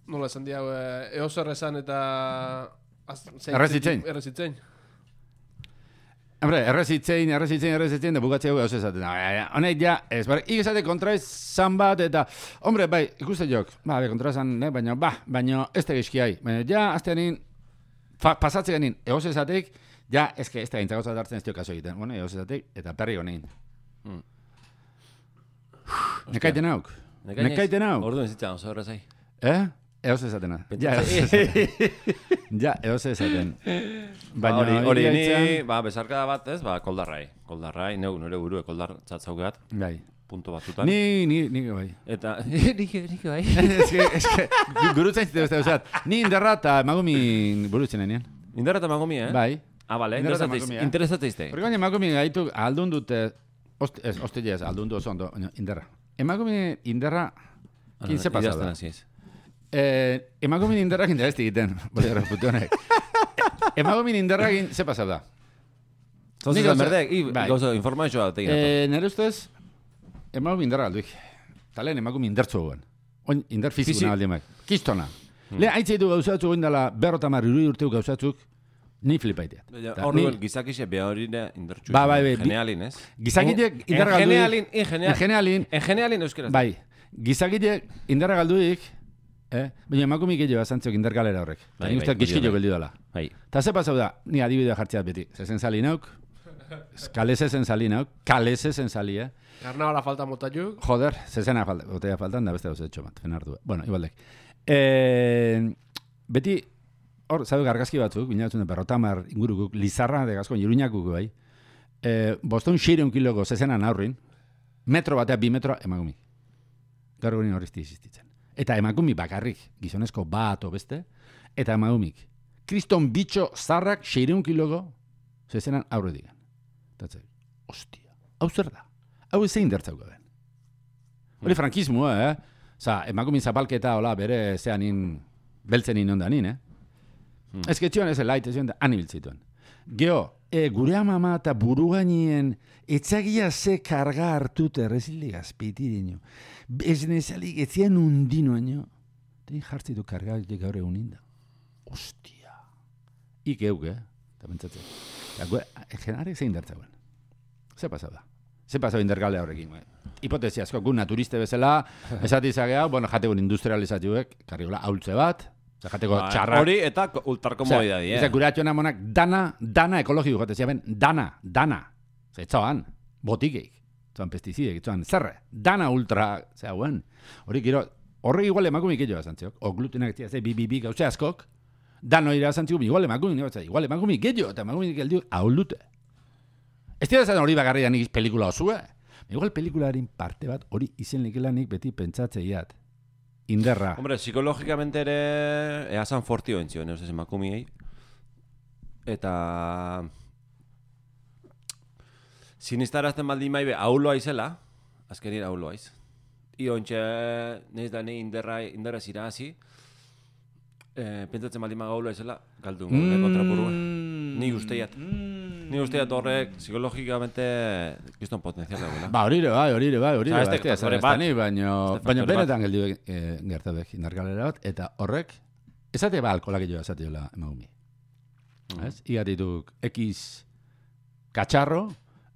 nola esan diau, eh, eozer esan eta... az- zein- Errezitzein. Errezitzein. Hombre, errezitzein, errezitzein, errezitzein, da bukatzea hau esaten. Honek ja, ez, bar, ikesate kontra izan bat, eta, hombre, bai, ikuste jok, ba, be, kontra izan, ne, baina, ba, baina, ez da gizkiai. Baina, ja, azte nin, pasatzea nin, egoz esatek, ja, ezke, ez da gintzakotza hartzen ez dio kaso egiten. Bueno, egoz esatek, eta perri honein. Mm. Nekaiten hauk. Nekaiten hauk. Orduan zitzen oso errezai. Eh? Eoz esatena. Ja, eoz esaten. Ja, eoz esaten. Baina hori, hori egia ni, hitzan- ba, bezarkada bat ez, ba, koldarrai. Koldarrai, neu, nire burue koldar txatzaugat, Bai. punto batutan. Ni, ni, ni, bai. Eta, nik, nik bai. eske, eske, gurutzen zite beste usat. Ni indarra eta emagumin burutzen nenean. Indarra eta magomi, eh? Bai. Ah, bale, Indarra eta interesatzeiz, magomi, eh? interesatzeizte. Porque baina emagumin gaitu aldun dute, ost, ez, ostile ez, aldun du oso ondo, baina indarra. Emagumin indarra, kin ze pasada. Idazten hasi ez. Eh, emagumin indarrak interesti egiten, boli erreputu honek. Emagumin indarrakin ze pasada. Zozi Nik zan gauza- berdek, i, bai. gauza informazioa da tegin. Eh, nire ustez, emagumin indarra alduik. Talen emagumin indartzu guen. Oin, indar Fizi- fizikuna aldi emak. Kistona. Le, haitzeitu gauzatzu goindala berrotamar irui urteu gauzatzuk, Ni flipaitea. Horren gizakixe beha hori indartxu. Ba, bai, bai. Genealin, ez? Gizakitek indarra galduik. Genealin, in genealin. En genealin euskeraz. Bai. Gizakitek indarra galduik, eh? Baina emakumik gehiago azantziok indar galera horrek. Bai, Nik usteak bai, gizkillo bai. geldi dela. Bai. Ta ze pasau da, ni adibidea jartzeat beti. Zezen sali nauk, kalese zen sali nauk, kalese zen sali, eh? Karnavala falta motatuk. Joder, zezena falta, botella faltan da beste dauz etxo bat, fenardu. Bueno, igualdek. Eh, beti, hor, zabe gargazki batzuk, binatzen da berrotamar ingurukuk, lizarra de gazkoan, iruñakuk bai, eh, boston xireun kiloko zezenan aurrin, metro batea, bi metro, emakumik. Gaur egunin horrezti existitzen. Eta emakumik bakarrik, gizonezko bat o beste, eta emakumik. Kriston bitxo zarrak xireun kiloko zezenan aurre digan. Eta ostia, hau zer da? Hau zein dertzauko ben. Hori frankismoa, eh? Osa, emakumin zapalketa, hola, bere zean in, beltzen inondan in, eh? Hmm. Ez ketxioan ez elait, ez da, anibiltzituen. Geo, e, gure amama eta burugainien etzagia ze karga hartute rezildi gazpeiti dino. Ez nezalik, etzian undino aino. Tein jartzitu karga gaur egunin da. Ostia. Ik euk, eh? Eta pentsatzen. Generarek zein dertzauen. Ze pasau da? Ze pasau indergale horrekin, eh? Hipotesi asko, gu naturiste bezala, esatizagea, bueno, jategun industrializatuek, karriola haultze bat, jateko ba, txarrak. Hori eta ultrakomodidadi, eh? Eza, gure atxona monak, dana, dana ekologiko jatezia ben, dana, dana. Zetzoan, botikeik, zoan pestizidek, zoan zerre, dana ultra, zera guen. Hori, gero, horrek igual emakumik egio azantziok, o glutenak etzia, ze, bi, bi, bi, gauze askok, dano ira azantziok, igual emakumik, igual emakumik egio, eta emakumik geldiuk, haulute. Ez dira zan hori bakarri nik pelikula osue. Igual pelikularin parte bat hori izen lekelanik beti pentsatzeiat. Inderra. Hombre, psikologikamente ere eazan fortio entzio, neuz ez emakumiei. Eta sinistarazten baldin maibe auloa izela, azkenira auloa iz. Io ontxe, neiz da ne inderra, inderra zira hazi, eh, pentsatzen baldin maga auloa izela, galdu mm, kontrapurua. Ni usteiat. Mm. Ni usteiat horrek psikologikamente kiston potenzial dagoela. Ba, hori ere bai, hori ere bai, hori ere bai. Ez faktore bat. Baina benetan geldi eh, gertabek indargalera bat, eta horrek, ezate ba alkolak jo ezate jola emagumi. Mm. Ez? Igatituk X katxarro,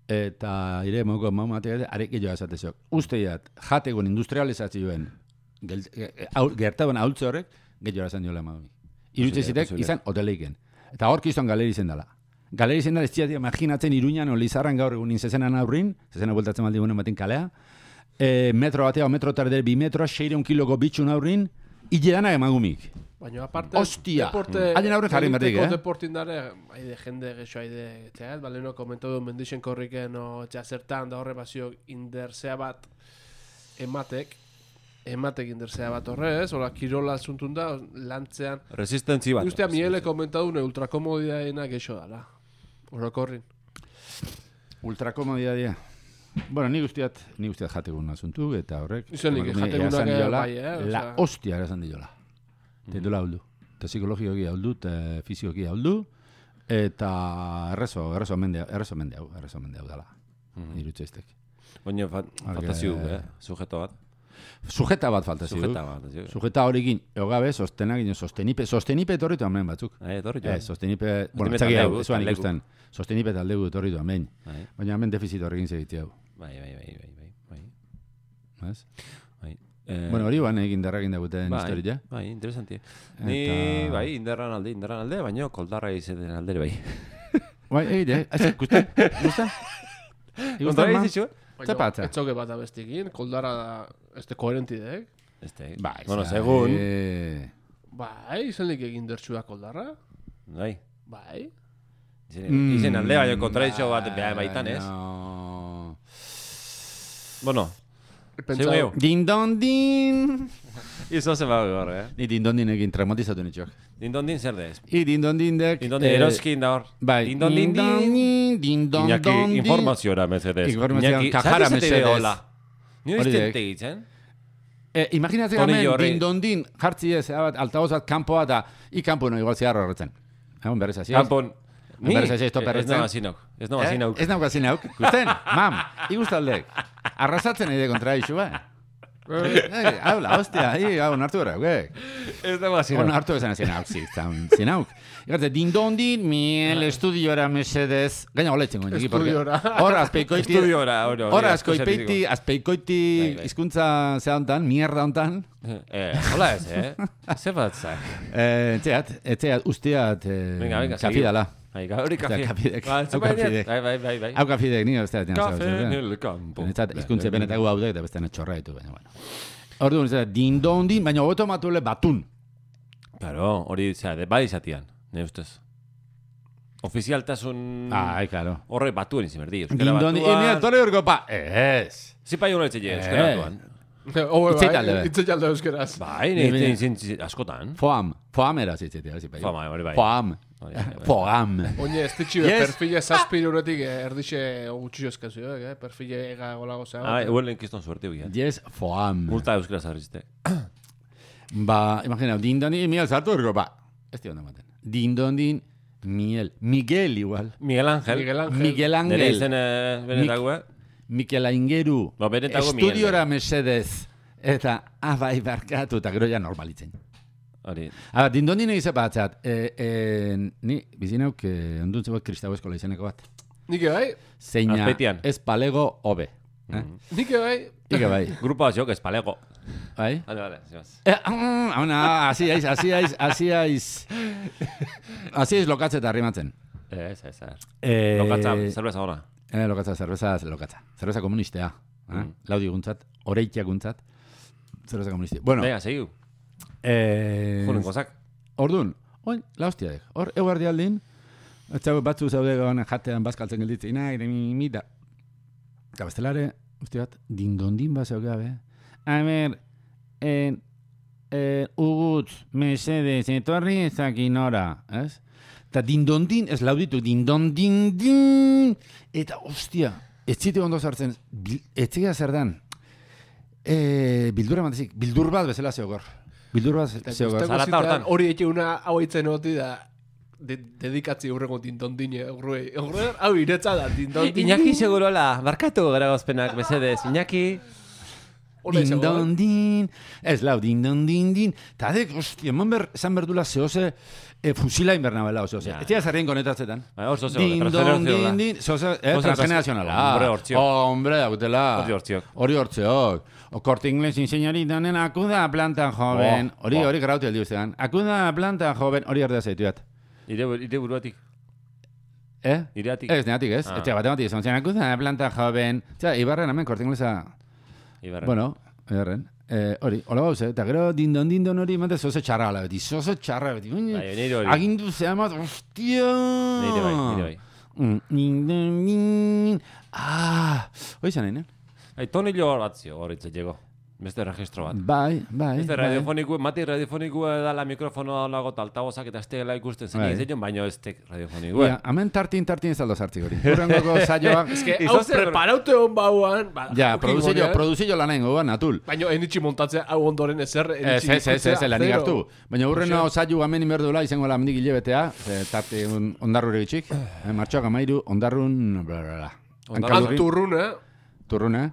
eta ire emauko maumatea, arek jo ezate zok. Usteiat, jategon industrializazioen gertaben ahultze horrek, gehiago esan diola emagumi. Irutze zitek, izan hoteleiken. Eta hor kiston galeri zen dela. Galeri zen dela, ez ziat imaginatzen Iruñan o Lizarran gaur egun zezenan aurrin, zezena bueltatzen maldi gunen batin kalea, e, metro batea o metro tardera bi metroa, seireun kiloko bitxun aurrin, hilerana emagumik. Baina aparte, Ostia! deporte... Haien aurren jarri merdik, eh? Deportin dare, haide jende gexo haide, txat, bale no komentatu mendixen korriken o txazertan da horre basio inderzea bat ematek, ematek inderzea bat horrez, hola kirola zuntun da, lantzean. Resistentzi bat. Ustea miele komentatu ne ultrakomodidaena gexo dala. Orokorrin. Ultrakomodidadia. Bueno, ni guztiat, ni guztiat jategun asuntu, eta horrek... Izenik, jategunak bai, eh? La hostia erazan diola. Eta dula hauldu. Eta psikologioki hauldu, eta fizioki hauldu, eta errezo, errezo mende, errezo mende hau, errezo mende hau dala. Irutzeiztek. Baina faltazio, eh? Sujeto bat. Sujeta bat faltazio. Sujeta bat. Sujeta horikin, eogabe, sostenak, sostenipe, sostenipe etorritu amen batzuk. Eh, etorritu. Eh, sostenipe, bueno, txaki hau, zuan ikusten, sostenipe taldegu etorritu amen. Baina amen defizit horrekin segitzea hau. Bai, bai, bai, bai, bai, bai. Mas? Bai. Bueno, hori ban egin darrakin daguten historia. Bai, interesanti. Ni, bai, inderran alde, inderran alde, baina koldarra izaten aldere bai. Bai, egite, eh? Gustan? Gustan? Kontra izitxu? Zapatza. Etzoke bat abestikin, koldara da, este koherentidek. Este, bai, bueno, segun. Bai, izenik egin dertxua koldarra. Bai. Bai. Izen alde, baina kontradizio bat behar baitan, ez? Bueno, zeu gehiago. Dindondin! Izo zen bago gaur, eh? Ni dindondin egin traumatizatu nitxok. Dindondin zer dez? I dindondindek... Dindondin eroskin da hor. Bai. Dindondin, dindondin... Iñaki informaziora mezedez. Informazioa kajara mezedez. Ni oizten tegitzen? Imaginatzen hemen dindondin jartzi ez, altagozat kanpoa da, i kanpo no igual ziarro horretzen. Egon berrez hasi. Kanpon... Ni? Ez nago azinauk. Ez nago azinauk. Ez nago azinauk. Gusten? Mam, igustaldek. Arrasatzen eide kontra isu, ba? Eh, habla, hostia, ahí, hau, nartu gara, ok. Ez da mazina. On hartu esan ezin hauk, zin, zin hauk. Igartze, dindondin, miel estudiora mesedez. Gaina hola itzen goen. Estudiora. Hor, azpeikoiti. Estudiora, hori. Hor, azkoipeiti, azpeikoiti Bai, bai. hizkuntza zea hontan, mierda hontan. Eh, hola ez, eh? Zer batzak. Eh, etxeat, etxeat, usteat, Venga, venga, kafi dala. Aika, hori kafe. kafidek, Ba, hau kafidek. Bai, bai, bai, bai. Hau kafidek, nire usteat. Kafe en el campo. Netzat, hizkuntze benetago hau da, eta beste netxorra ditu, baina, bueno. Orduan, ez da, dindondin, baina hobeto matule batun. Claro, hori, zera, de bai izatian, nire ustez. Ofizialtasun... Ai, claro. Horre batuen izin berdi, euskara Dindondin, e, nire, batuan... tole horko, pa, ez. Zipa joan etxe euskara Eh. batuan. Oe, Itzeit bai, alde, bai. itzeit alde euskeraz. Bai, Ni- nire ni- izin askotan. Foam, foam era zitzetea, zipa. Fama, hori bai. Foam, Hori, bai, bai. foam. Oine, ez ditxi Yes. perfile zazpire unetik erdixe gutxio eskazio, eh? Perfile ega golago zea. Ah, igual lenkiston suerte huia. Yes, foam. Multa euskara zarrizte. Ba, imagina, dindondin, miel sartu horko, ba. Ez dio maten. Dindondin, miel. Miguel igual. Miguel Ángel. Miguel Ángel. Miguel Nire Ángel. izen eh, benetagoa. Mikel Aingeru. No, benetago Miguel. Estudiora mesedez. Eta, abai barkatu, eta gero ja normalitzen. Hori. Ah, dindondin egize batzat. E, e, ni, bizinauk, eh, onduntze bat kristau eskola izeneko bat. Nike bai, Zeina, Azpeitian. ez palego hobe. Eh? nike bai. Ike bai. Grupo batzuk, espalego. Bai? Vale, vale, zimaz. Eh, mm, hona, hasi aiz, hasi aiz, hasi aiz. Hasi aiz lokatze eta arrimatzen. Ez, ez, ez. Eh, Lokatza, zerbeza ona. Eh, lokatza, zerbeza, lokatza. Zerbeza komunistea. Eh? Mm. Laudi guntzat, oreikia guntzat. Zerbeza komunistea. Bueno, Venga, segiu. eh, Junen gozak. Ordun, oin, la hostiadek. Hor, eguardi aldin, etxago batzu zaude gana jatean bazkaltzen gelditzen, nahi, mi, mi, da. Eta bestelare, uste bat, dindondin bat zeu gabe. A ber, en, en, ugutz, mesedez, etorri ezakin ora, ez? Eta dindondin, ez lauditu, dindondin, din, eta ostia, ez zite ondo sartzen, bil, ez zigea zer dan, e, bildura mantezik, bildur bat bezala zeogor. Bildur bat zeogor. Zarata Zarata hortan. hori eke una hau itzen hoti da de, dedikatzi urrengo dindondine urruei. Urre, hau iretza da dindondine. Iñaki segurola, barkatu gara gozpenak, mesedez. Iñaki... Hola izango da. Dindondin, ez lau, dindondin, eta dek, ostia, eman ber, esan berdula zehose, e, fusila inbernabela, zehose. Ja. Ez dira zarrien konetatzen. Bai, hor zoze, transgenerazionala. Dindondin, zehose, eh, Zehose transgenerazionala. Hombre, hortziok. Hombre, dautela. Hori hortziok. Hori hortziok. O corte inglés, señorita, nena, acuda a planta joven. Oh, Hori, oh. hori grauti aldi ustean. Acuda a planta joven, hori erdea zaituat. Ire, ire buruatik. Eh? Ireatik. Ez, neatik, ez? Ah. Etxe, batematik, esan zen, acuda a planta joven. Txea, Ibarren, hemen, corte inglesa... Ibarren. Bueno, Ibarren. Eh, hori, hola bauze, eta gero dindon dindon hori, mate zoze txarra ala beti, zoze txarra beti. Ui, Bai, nire hori. agindu zehamat, ostia! Nire bai, nire bai. Mm, dindon, din. Ah, hoi zan nahi, Ai, tonillo bat zio, hori llego. Beste registro bat. Bai, bai, Beste bai. radiofoniku, mati radiofoniku da la mikrofono lago taltabozak eta estela ikusten zen Bai. egin baino ez tek radiofoniku. Ja, hemen tartin, tartin ez aldo sartzik hori. Urrengoko saioak, Ez que Izo hau zer- preparaute hon bauan. Ba, ja, uki produzio, gonean. produzio lanen gogoan, natul. Baina enitxi montatzea hau ondoren ezer. Ez, enitxi ez, ez, ez, ikutzea, lanik zero. hartu. Baina urreno saio hemen inberdula izango la mendik hilebetea, ze tarte un, ondarrure bitxik, eh, martxoak amairu, ondarrun, bla, bla, bla. Ondarrun. Hankaldurri, Turrun, eh? turrune,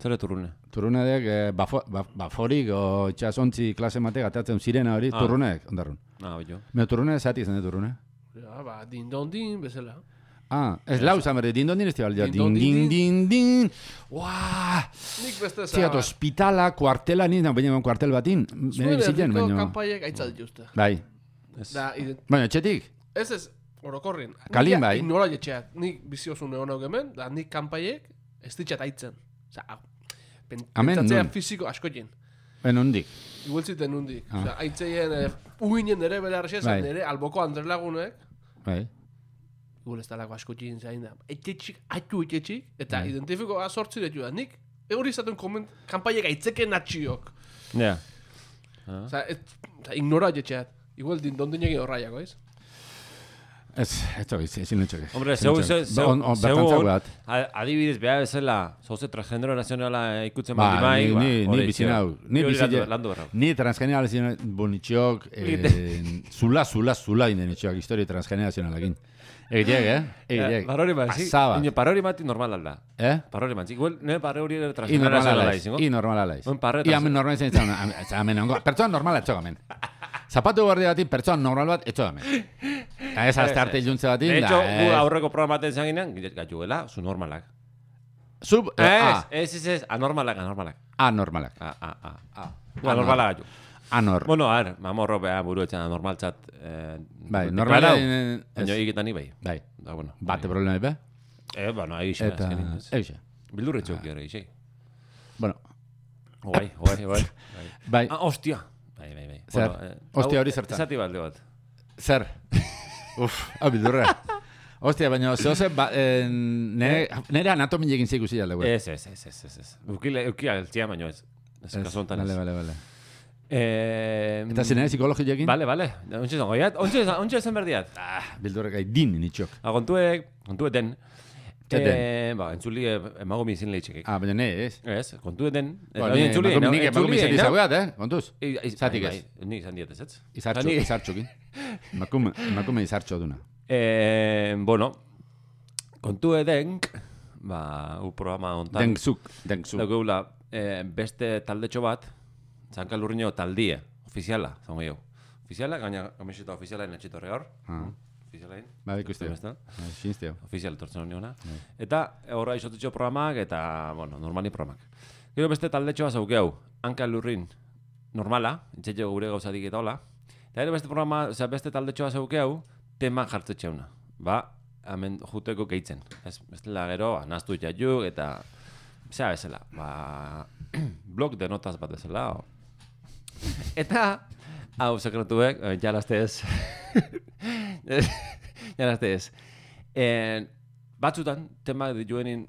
Zer turrune. turrune dek, eh, bafo, baf, baforik, o itxasontzi klase matek atatzen zirena hori, Ah. turrunek, ondarrun. Ah, billo. Me turrune zati izan de turrune. Ja, ba, dindondin, bezala. Ah, ez lau izan berde, dindondin ez tibal, din, Dindon, din, din, din, din, Uaa, Nik beste ziat, zara. ospitala, kuartela, nien, baina kuartel batin, Zuen bene biziten, erdiko baina, kanpaiek aitzat dituzte. bai, Ez. Da, ident- baina etxetik, ez ez, orokorrin. Kalin Nik bai. Nola jetxeat, nik biziosun egon hau hemen, da nik kanpaiek ez ditxat aitzen. Osa, hau, pen, Amen, pentsatzea non? fiziko asko jen. ben hondik, Igualtziten nundik. Ah. Osa, aitzeien, eh, uinen nere bere arrexezan, Bai. nere alboko andrelagunek, bai, igual ez talako asko jen zain da. Etxetxik, atu etxetxik, eta Bai. identifikoa sortzi ditu da. Nik, hori izaten koment, kanpaiek aitzeken natxiok. Ja. Osa, ez, osa, ignora jetxeat. Igual dindondinegi horraiako, ez? ez, ez tokiz, ezin lutxok. Hombre, zeu, zeu, zeu, On, on, bertan zeu, zauat. adibidez, beha bezala, zoze transgenero nazionala ikutzen Ba, baldin bai, ni, ba, ni, ni hori, bizin zio. hau, ni Hori bizin landu- landu berrau. ni transgenerazional bonitxok, eh, zula, zula, zula inden etxoak, historia transgenerazionalakin. Egitek, eh? Egitek. Parori bat, zi? Pasaba. Ino, parori bat normal alda. Eh? Parori bat, zi? Igual, nire parori ere I transgenera normala zela laiz. izango. I normala laiz. Buen parre, I amen normala izan izan. Amen ongo. Pertsona normala etxo gamen. Zapatu guardia bati, pertsona normal bat etxo gamen. Eta ez azte arte iluntze batin. De hecho, da, gu ez. aurreko programa baten zaginean, gatuela, zu normalak. Sub, eh, Ez, A. ez, ez, ez, anormalak, anormalak. Anormalak. A, a, a. A. Gu anormalak gatu. Anor. Bueno, a ver, mamorro beha buru etxan anormaltzat. Eh, Bai, normala. normala. Baina egiten ni bai. Bai. Da, bueno. Bate problema be. Eh, bueno, ahí xe, Eta, azkenin, ez. eixe. Bildurre txok gero, ixe. Bueno, Guai, guai, guai. bai, Ah, hostia. Bai, bai, bai. Zer? Bueno, eh, Hostia hau, hori zertan? Esati balde bat. zer? Uf, hau bildurra. Hostia, baina zehose, ba, eh, nere, nere anatomi egin zikusi jale, güey. Ez, ez, ez, ez, ez, ez. Ukile, ukia altzia baino ez. Ez, kasu honetan ez. Vale, vale, vale. Eh, Eta zinere psikologi egin? Vale, vale. Ontxe zango, ya, ontxe, ontxe zen berdiat. Ah, bildurra gai din nitxok. A, kontuek, kontueten. Eten. Eh, ba, entzuli emago mizin leitxekek. Ah, baina ne, ez? Ez, kontueten. Ba, Oin entzuli, emakume- no, nik emakume entzuli, izan no? dizaguat, eh? Kontuz? I- i- Zatik bai, ez. bai, Ni izan diet ez, ez? Izartxo, Ni- izartxokin. Emakume, emakume izartxo duna. Eh, bueno, kontue denk, ba, u programa hontan. Denkzuk, denkzuk. Daukegula, eh, beste taldetxo bat, Zankalurriño taldie, ofiziala, zango jo. Ofiziala, gaina kamiseta ofiziala netxitorre hor. Ah. Ofizialain. Ba, ikuste. Beste. Xinzteo. Ofizial etortzen honi hona. Eta horra izotitxo programak eta, bueno, normali programak. Gero beste taldetxoa zauke hau, Hanka Lurrin normala, intzetxo gure gauzatik eta hola. Eta gero beste programa, osea, beste taldetxoa zauke hau, tema jartzetxeuna. Ba, hemen juteko gehitzen. Ez, bestela gero, naztu itxaiuk eta, zera bezala, ba, blog de notas bat bezala. O. Eta, hau sekretuek, eh, jalazte ez. jalazte ez. Eh, batzutan, tema dituenin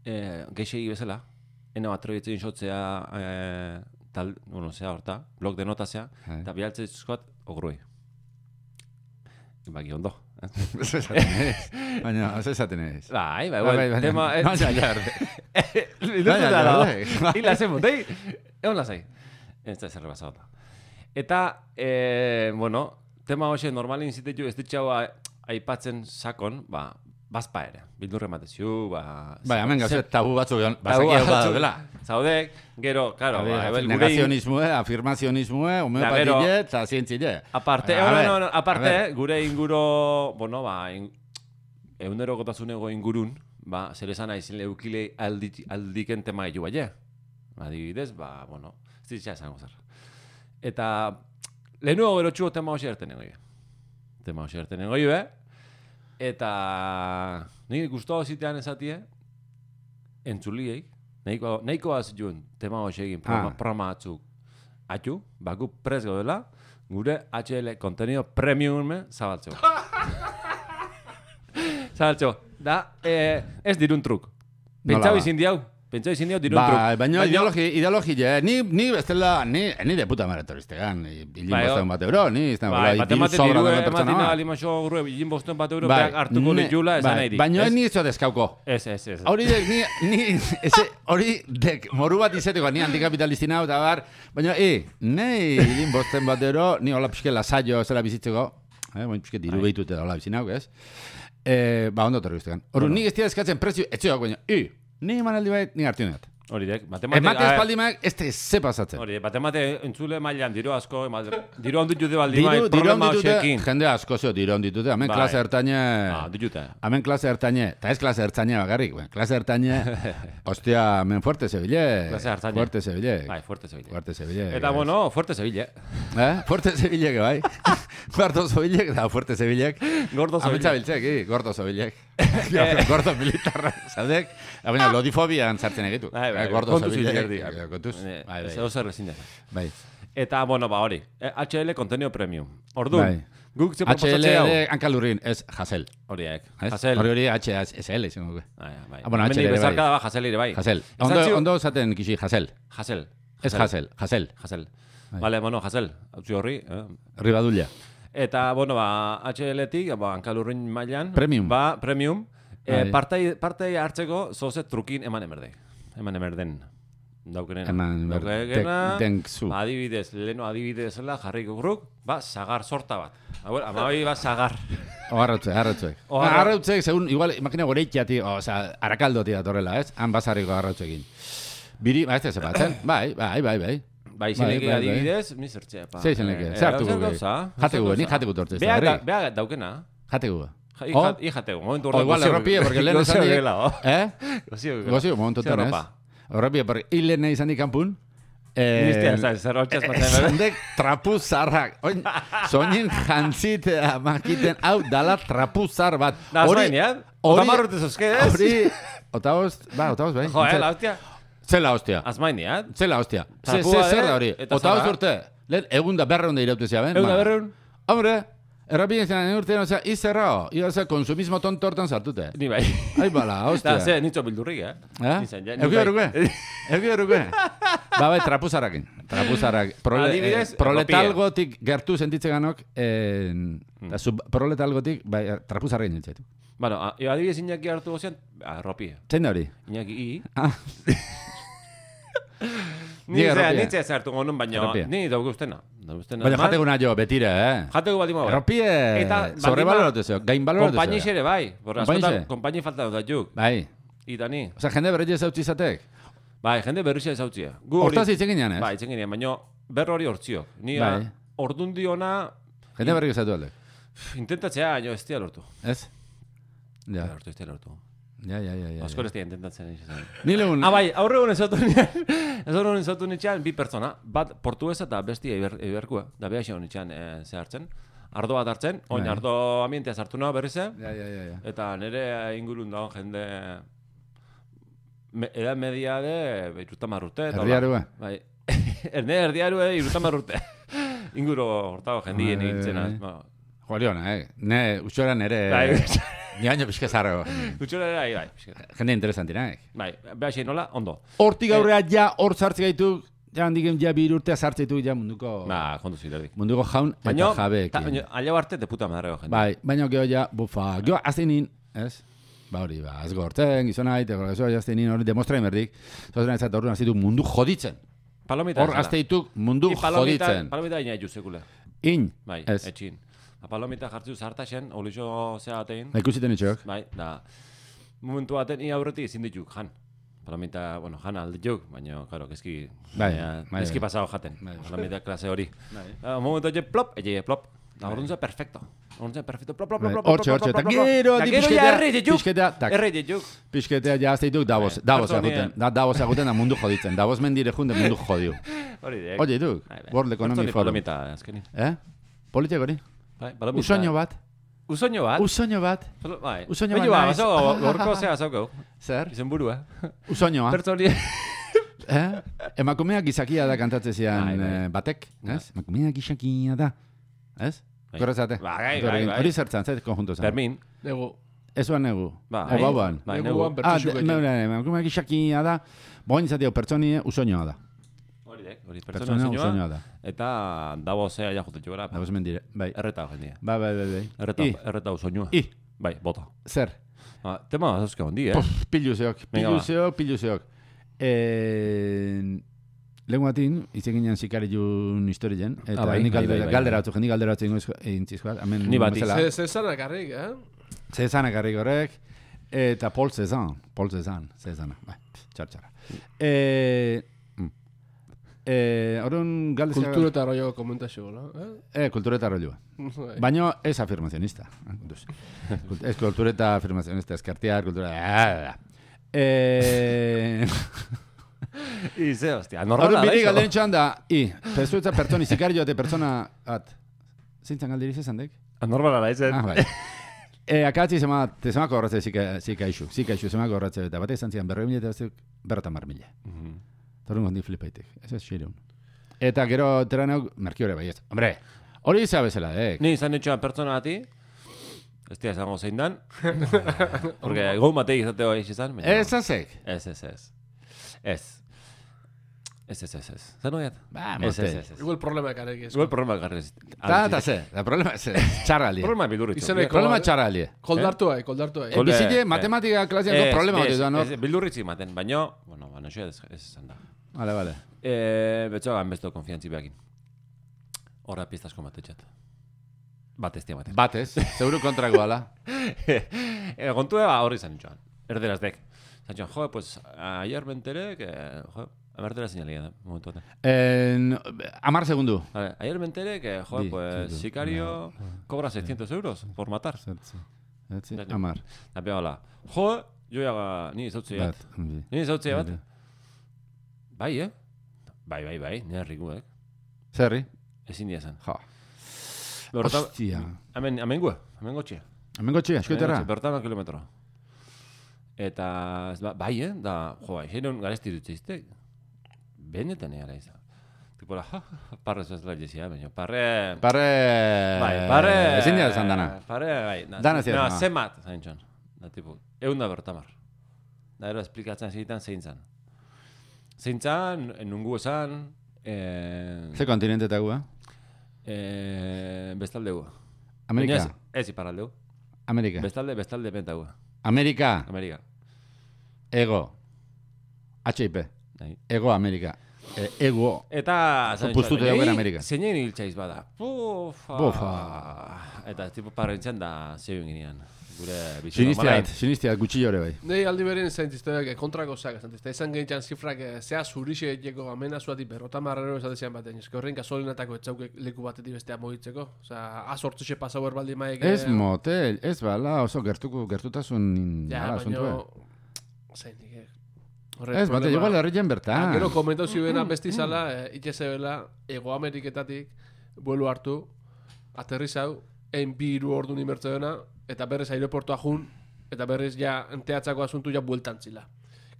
eh, geixegi bezala, ena bat trebitzen xotzea eh, tal, bueno, zea horta, blog de notazea, Hai. eta bialtzen zuzkoat ogrui. Baki ondo. Ez esaten ez. Baina, ez esaten ez. Bai, bai, Bai, bai, bai, tema... baina- baina, ja, Baina, ja, baina, hila zen botei, egon lasai. Ez da zerre basauta. Eta, eh, bueno, tema hoxe normalin zitetu ez ditxau aipatzen sakon, ba, bazpa ere. Bildurre mateziu, ba... Bai, hemen gauzet ze- tabu batzuk egon. tabu Bazaki hau batzuk badaudela. Zaudek, gero, karo, ba, ebel, gure... Negazionismoe, afirmazionismoe, homeopatile, eta zientzile. Aparte, A eh, ver, no, no, aparte, a ver. gure inguro, bueno, ba, in, egunero gotasunego ingurun, ba, zer esan aizin leukile aldi, aldiken tema gehiu baie. Adibidez, ba, bueno, ez ditzea esango zer. Eta, lehenuago gero txugo tema hoxe erten egoi. Tema hoxe erten egoi, be? Eta, nire guztua zitean esatie, entzuliei, nahiko, nahiko azituen tema hoxe egin programa, Ah. programa batzuk atxu, baku prez gaudela, gure H L kontenido premium zabaltzeko. Zabaltzeko. Da, eh, ez dirun truk. Nola Pentsau ba? izin diau. Pentsau izin diau dirun Ba, truk. baina ideologi, ideologi, eh, ni, ni bestela, ni, ni de puta maratoriztegan, hilin Bai, bostean bat euro, ni, ez da, Bai, bola, bat diru ematen sobra dirue, duen pertsona ematen bat. alimaxo gure, bilin bosten bat euro, Bai, beak hartuko ne- ditula, esan bai, nahi di. baina Ez? ni izo deskauko. Ez, ez, ez. Hori dek, ni, ni, eze, hori dek, moru bat izeteko, ni antikapitalistina eta bar, baina, e, nei, hilin bosten bat euro, ni hola pixke lasaio zela bizitzeko, eh, baina pixke diru Bai. behitu eta hola bizinauk, ez? Eh, ba, ondo torri guztekan. Hori, Bueno. nik ez dira eskatzen prezio, etxeak, baina, i, ni emanaldi bait, ni hartu net. Hori dek, batemate... Emate espaldi maak, ez te ze pasatzen. Hori, batemate entzule mailan, diru asko, emal- diru handu jute baldi Diru, mai, diru problema ditute, hoxekin. jende asko zeo diru ditute, hemen Bai. klase ertaine, Ah, ditute. hemen klase ertaine, eta ez klase ertaine bakarrik, ben, klase ertaine, ostia, hemen fuerte zebile, Klase ertaine. fuerte zebile, Bai, fuerte zebile. fuerte zebile. Eta, bueno, fuerte zebile. Eh? Fuerte zebilek, bai. Gordo zebilek, da fuerte zebilek. Gordo Ametsa zebile. biltzek, i, gordo zebilek. Gordo militarra, zadek. Baina, lodifobian sartzen egitu. Bai, bai, Eh, Gordo kontuz zebilek. erdi. eh, Kontuz. Eh, Bai, bai. Zeo zer ezin da. Bai. Eta, bueno, ba, hori. Eh, H L kontenido premium. Orduan, Bai. guk ze H L proposatzea hau. de hankalurrin, ez Hasel. Horiek. Ez? Jasel. Hori hori H S L izango dugu. Ah, ja, bai. Ah, bueno, H L Hemendik ere bai. bezarkada ba, Jasel ere bai. Hasel. Esan Ondo, ziu- ondo zaten kixi, Hasel. Jasel. Ez Hasel, Hasel. Jasel. Bai. Vale, bueno, Jasel. Hautzi horri. Eh? Ribadulla. Eta, bueno, ba, H L-tik, ba, hankalurrin mailan. Premium. Ba, premium. Eh, Bai. partai, partai hartzeko zoze trukin eman emerde. Eman emerden. Daukenena. Eman ber- Daukena, tek- denkzu. ba, adibidez, leheno adibidez zela jarriko gruk, ba, sagar sorta bat. Hau, amabai, ba, sagar. O arrautzuek, arrautzuek. O Ah, arra- Arrautzuek, segun, igual, imagina goreitxati, o sea, arakaldoti datorrela, ez? Han basarriko arrautzuekin. Biri, ba, ez da zepatzen. Bai, bai, bai, bai. Bai, izeneke bai, bai. adibidez, mi zertzea, pa. Ze izeneke, Eh, ze hartuko zer gehi? gauza? Jateko, zer ni gauza? jateko tortez, Beak, da, herri. beak daukena. Jateko. Ja, Oh. ijat- Ijateko, momentu O igual, erropie, porque lehen esan dik... Eh? Gozio, Gozio, momentutan, ez? Erropie, porque hile nahi izan dik kanpun. Ministia, zai, zer hotxaz matzen bebe. Zandek trapu zarrak. Oin, soinen jantzitea makiten, hau dala trapu zar bat. Da, Hori- azmain, ja? hori- Otamarrute zozke, ez? Hori... Otabost, ba, otabost, bai. Jo, eh, la hostia. Zela hostia. Azmain, ja? Zela hostia. Ze, Trapua ze, zer ere, da hori? eta Otabost zarra. urte. Lehen, egun da berreun da iraute ziaben. Egun da berreun? Hombre, errapien zenan urtean, osea, izerrao. Ia, osea, konsumismo tonto hortan sartute. Ni bai. Ai, bala, hostia. Da, ze, nitzo bildurrik, eh? Eh? Nizan, ja, ni Euki bai. beruke? Euki beruke? Ba, bai, trapuzarrakin. Trapuzarrak. Prole, Adibidez, eh, proletalgotik gertu sentitzen ganok, eh, da, sub, proletalgotik, bai, trapuzarrakin nintzaitu. Bueno, a- adibidez Iñaki hartu gozian, arropie. Zein da hori? Iñaki i. Ah, Ni Diga zera, arropie. nitze ez hartu gonun, baina Arropie. ni dauke ustena. Dauke ustena. baina eman. jateko nahi jo, betire, eh? Jateko bat ima bai. Erropie, Eta baldin sobrevaloratu zeo, gain baloratu zeo. Konpainixe ere bai. Borra, Konpainixe? askotan, konpaini falta dut juk. Bai. Ita ni. Osea, jende berretxe zautzi izatek. Bai, jende berrizia ezautzia. Gu hori... Hortaz itzen ginean, ez? Bai, itzen ginean, baina berro hori hortziok. Ni Bai. ordun diona Jende berretxe zautu aldek. intentatzea, jo, ez tia lortu. Ez? Ja, Lortu, ez tia lortu. ja, ja, ja. ja, Asko ja. ez tia intentatzen. izan. Ni legun... Ah, bai, aurre honen zautu nian. Ez horren zautu nitxean, bi pertsona. Bat portuguesa eta besti eiber, eiberkua. Da beha xeon nitxean e, ze hartzen. Ardo bat hartzen. Oin, Bai. ardo ambientea sartu nahi berrize. Ja, ja, ja, ja. Eta nire ingurun dago jende... Me, edad media de irutamar urte. eta hola. Erdiarua. Bai. Erne erdiarue irutamar urte. Inguru hortago jendien Bai, nintzen. bai. Ba, Joliona, eh? Ne, utxora nere... Bai, Ni baino pixka zarrago. Gutxora ere, bai, bai. Jende interesantina, eh? Bai, beha xein nola, ondo. Hortik aurrea ja hor sartze gaitu, ja handiken ja bir urtea sartze ditu ja munduko... Ba, kontu zilerdik. Munduko jaun eta Baina, jabeekin. aia arte de puta madre jende. Bai, baina geho ja, bufa, geho azteinin, ez? Ba hori, ba, ez gortzen, gizona haite, gorgezoa jazteinin hori demostra emerdik, zozen ez eta horren azteitu mundu joditzen. Palomita. Hor azteituk mundu I palomita, joditzen. palomita ina ju sekule. In, Bai, ez. etxin. A palomita jartzu zartaxen, olixo zeatein. Da ikusiten itxok. Bai, da. Momentu baten ia aurretik ezin dituk, jan. Palomita, bueno, jan aldituk, baina, claro, keski... Bai, baina, bai, keski bai. pasao jaten. Bai. Palomita klase hori. Bai. Uh, momentu ege plop, ege plop. Da, orduan ze perfecto. Orduan ze perfecto, plop, plop, plop, Bai, plop, plop, hortxe, plop, hortxe, plop, eta plop, plop. gero Da di gero ja pixketea, erre dituk. pixketea, tak. Erre dituk. Pisketea ja azteituk Davos, Davos pertsonia. aguten. Da, Davos aguten da mundu joditzen. Davos mendire junde mundu jodiu. Hori dek. Oye, du, Bai, bai. World Economic Pertsoni Forum. palomita, azkenin. Eh? Politiak hori? Bai, palomita. Usoño bat? Usoño bat. Usoño bat? Palo- Bai. Usoño Baina, bat ba, naiz. bazo, gorko zea zauko. Zer? Izen burua. Usoñoa? Pertsoni. Eh? Emakumeak gizakia da kantatze zian Bai, bai. eh, batek, ez? Emakumeak gizakia da, ez? Bai. Korretzate? Bai, bai, bai. Hori zertzan, zait konjunto zan. Fermin. Nego. Ez uan negu. Ba, O bauan. Bai, Neguan negu. Ah, bertxu de- gaitu. meure, emakumeak gizakia da, boin zatio pertsonie usoñoa da. Hori dek, hori pertsona Pertsona usoñoa. usoñoa da. Eta dabo zea ja jute jogara. Da, mendire, bai. Erreta jendia. Bai, bai, bai, bai. Erreta, I, erreta usoñoa. I, Bai, bota. zer? Ah, tema azuzke hondi, eh? Pof, pilu zeok, Venga, pilu ba. zeok, pilu zeok. Eh, Lehen batin, itzeginen zikari jun historien, eta Ah, bai, nik bai, galdera, bai, bai, galdera bai. batzuk, nik galdera batzuk intzizkoat, hemen Ni bati. bezala. Ze, ze zanak harrik, eh? Zezanak harrik horrek, eta Paul Cezanne, Paul Cezanne, Cezanne, bai, txar-txara. Eh, mm. eh, Orduan galdera... Kultura eta arroio komentazio, no? Eh? Eh, kultura eta rolloa. Bai. Baina ez afirmazionista. Kontuz. Kult- Ez kultura eta afirmazionista, eskartiar, kultura... Eh... I ze, hostia, Orduan normala da biri iso. galderen txan da, i, persuetza pertsoni zikari joate pertsona, at, zintzan galderiz esan dek? Normala da izen. Ah, bai. E, akatzi zema, te zemako horretze zika, zika isu, zika isu zemako horretze, eta bate izan zian berroi mila eta batzuk berrota mar mila. Mhm. Torun gondi flipaitek, ez ez xireun. Eta gero teraneok, merkiore bai ez. Hombre, hori izan bezala, eh? Ni izan etxoan pertsona bati, ez dira esango zein dan, porque gau matei izateo eix izan. baina- Ez azek. Ez, ez, ez. Ez. Ez, ez, ez, ez. Zer noiat? Ba, Ez, mote. ez, ez, ez. Igual problema ekarrik ez. Igual problema garrez. Ta, eta ze, da problema ze, txarrali. Problema bildurritxo. Izeneko- Problema txarrali. Koldartu hai, koldartu hai. E, Kol- bizile, eh, matematika klasiako problema hori da, no? Ez, bildurritzi maten, baino, bueno, baina xo ez, ez esan da. Vale, vale. Eh, betxo gan besto konfiantzi behakin. Horra piztasko matetxat. Bat ez diamaten. Bat ez, zeuru kontrakoa ala. E, kontua ba, horri zan joan. Erderaztek. Zan joan, jo, pues, ayer me enteré que, jo, amartera señalía da, momentu baten. En, amar segundu. Vale, ayer me enteré que, jo, Di, pues, di, sicario no, no. cobra seiscientos euros por matar. Zertzi. Zertzi, Ja, ja. amar. Da pega hola. Jo, jo ja, ni zautze bat. Bat. bi. Ni zautze bat. Bai. Bai, eh? Bai, bai, bai, nire rikuek. Zerri? Ezin dia zen. Ja. Berrota, Hostia. hemen, hemen gue, hemen gotxia. Hemen gotxia, eskueterra. Bertama kilometro. Eta, ez ba, bai, eh? Da, jo, bai, xeron garesti dut zeizte. Benetan egara izan. Tipo, la, ja, ja, parre zazela jezia, baina, parre... Parre... Bai, parre... Ezin dira esan dana. Parre, bai. Na, Dana ez dira na, esan. zemat, zain txon. Da, tipo, egun da bertamar. Da, ero, esplikatzen zigitan zein zan. Zein zan, nungu esan... Eh, Ze kontinente eta gua? eh, bestaldegu. Amerika? Baina Ez, ez iparraldegu. Amerika? Bestalde, bestalde bentagu. Amerika? Amerika. Ego? H I P? Nahi. Ego Amerika? E, ego? Eta... Zo puztuta dagoen Amerika. Zeinen hiltzaiz bada. Bufa. Bufa. Eta tipo parrentzen da zeuen ginean. Gure bizi Sinistiat, sinistiat, gutxillo ere bai. Nei aldi berin zaintizteak kontrako zak, zaintizte. Ezan gehiagoan zifrak, zea zurixe egiteko amena zuatik berrota marrero esatezian baten. Ez que horrein gasolinatako etzaukek leku batetik bestea mogitzeko. Osa, azortzixe pasau erbaldi maik... Ez motel, ez bala, oso gertuko, gertutasun... Ja, ala, baina... asuntua. Zain, nik... Ez, bate, igual herrien bertan. Gero komentau zibena besti zala, itxezebela, Ego Ameriketatik, buelu hartu, aterrizau, ein bi hiru ordu nimertze dena, eta berriz aeroportua jun, eta berriz ja enteatzako asuntu ja bueltan zila.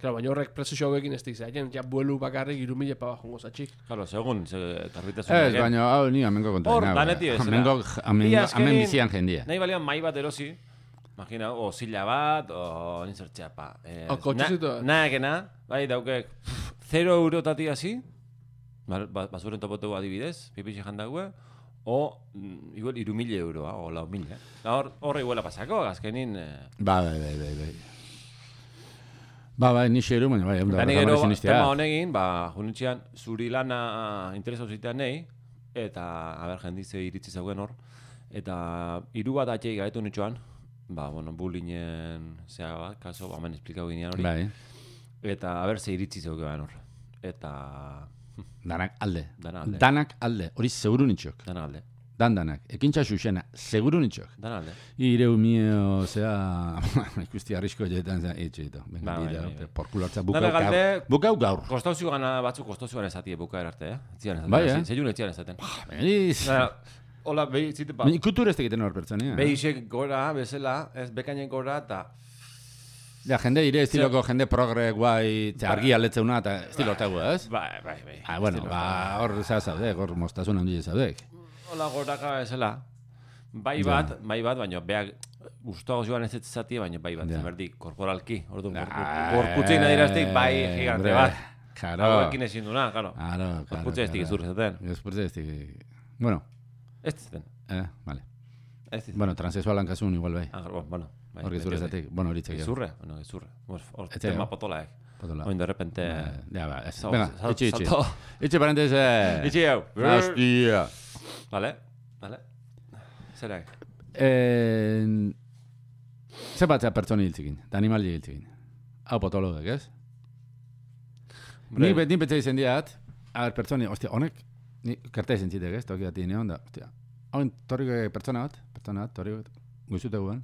Claro, baina horrek prezio hauekin ez diza, ja buelu bakarrik hiru mila paba jongo zatxik. Claro, segun, se, karbitasun. Ez, baina, hau, ni amengo kontra. Hor, daneti ez, Amengo, Ia azkenin- amen bizian jendia. Nahi balian mai bat erosi, imagina, o zila bat, o nintzertzea, pa. Eh, O kotxezito bat. Na, naekena, bai, daukek, zero eurotati hasi, ba- ba- basuren topotegu adibidez, pipixe jandague, o, mm, igual, iru mila euroa, o lau mila. Da hor, horre iguela pasako, azkenin... Eh, Ba, bai, bai, bai, bai. Ba, bai, ni xeru, baina, bai, Eta da, ni gero, da, sinistia. tema honegin, ba, junitxean, zuri lana interesau zitean nahi, eta, haber, jendize iritzi zauen hor, eta hiru bat atxei gaetu nitxoan, ba, bueno, bullingen, zea, bat, kaso, ba, hemen esplikau ginean hori, Bai, eta, haber, ze iritzi zeukean hor. Eta, danak alde. Dana alde. Danak alde, hori seguru nitxok. dana alde, Dan danak, ekintza xuxena, seguru nitxok. dana alde. Ireu mio, zea, ikusti arrisko jetan, zea, etxeito. Venga, Ba, bai, dira, bai, bai. porkulartza, Dana bukau gaur. galde- Bukau gaur. Kostauzu gana batzuk, kostauzu gana esatie bukaer arte, eh? Etzian esaten, Bai, hasi, eh? zeiun etzian esaten. Beniz. Baina, hola, behi, zite, ba, Ikutur ez tegiten hor pertsonea. behisek gora, bezala, ez bekainen gora, eta... Ja, jende ire estiloko, jende progre, guai, ze argi aletzeuna, eta estilo hortegu, ez? Bai, bai, bai. Ah, bueno, Estilo, ba, hor zea zaudek, hor mostazun handia zaudek. hola goraka bezala. Bai Ja. bat, bai bat, baina beak gustoago joan ez ez zatie, baina bai bat, Ja. zemerdi, korporalki. Orduan, Ah, gorputzein adiraztik, bai gigante hombre, bat. Claro. Hauekin ezin duna, claro. Claro, claro. Gorputze ez dik zurre zaten. Gorputze ez dik... Bueno, Ez zaten. eh, vale. Ez zaten. Bueno, transexualan kasun igual bai. Ah, bueno, bueno. bai, Hor gezurre beti hori. zatik. Bueno, horitzek. Gezurre? Bueno, gezurre. Hor hor Etxe, tema jo? potolaek. Potola. Oin de repente... Ja, ba, ez. Sal- Venga, sal- itxi, itxi. salto. Itxi parentese. Itxi hau. Hostia. Vale, vale. Zerak? Eh, Ze batzea pertsoni hiltzikin, eta animali hiltzikin. Hau potologek, ez? Ni bet ni betze izen diat, a ber, pertsoni, ostia, honek, ni kerte izen zitek, ez? Toki dati neon da, ostia. Hau torriko pertsona bat, pertsona bat, torriko, guztute guen.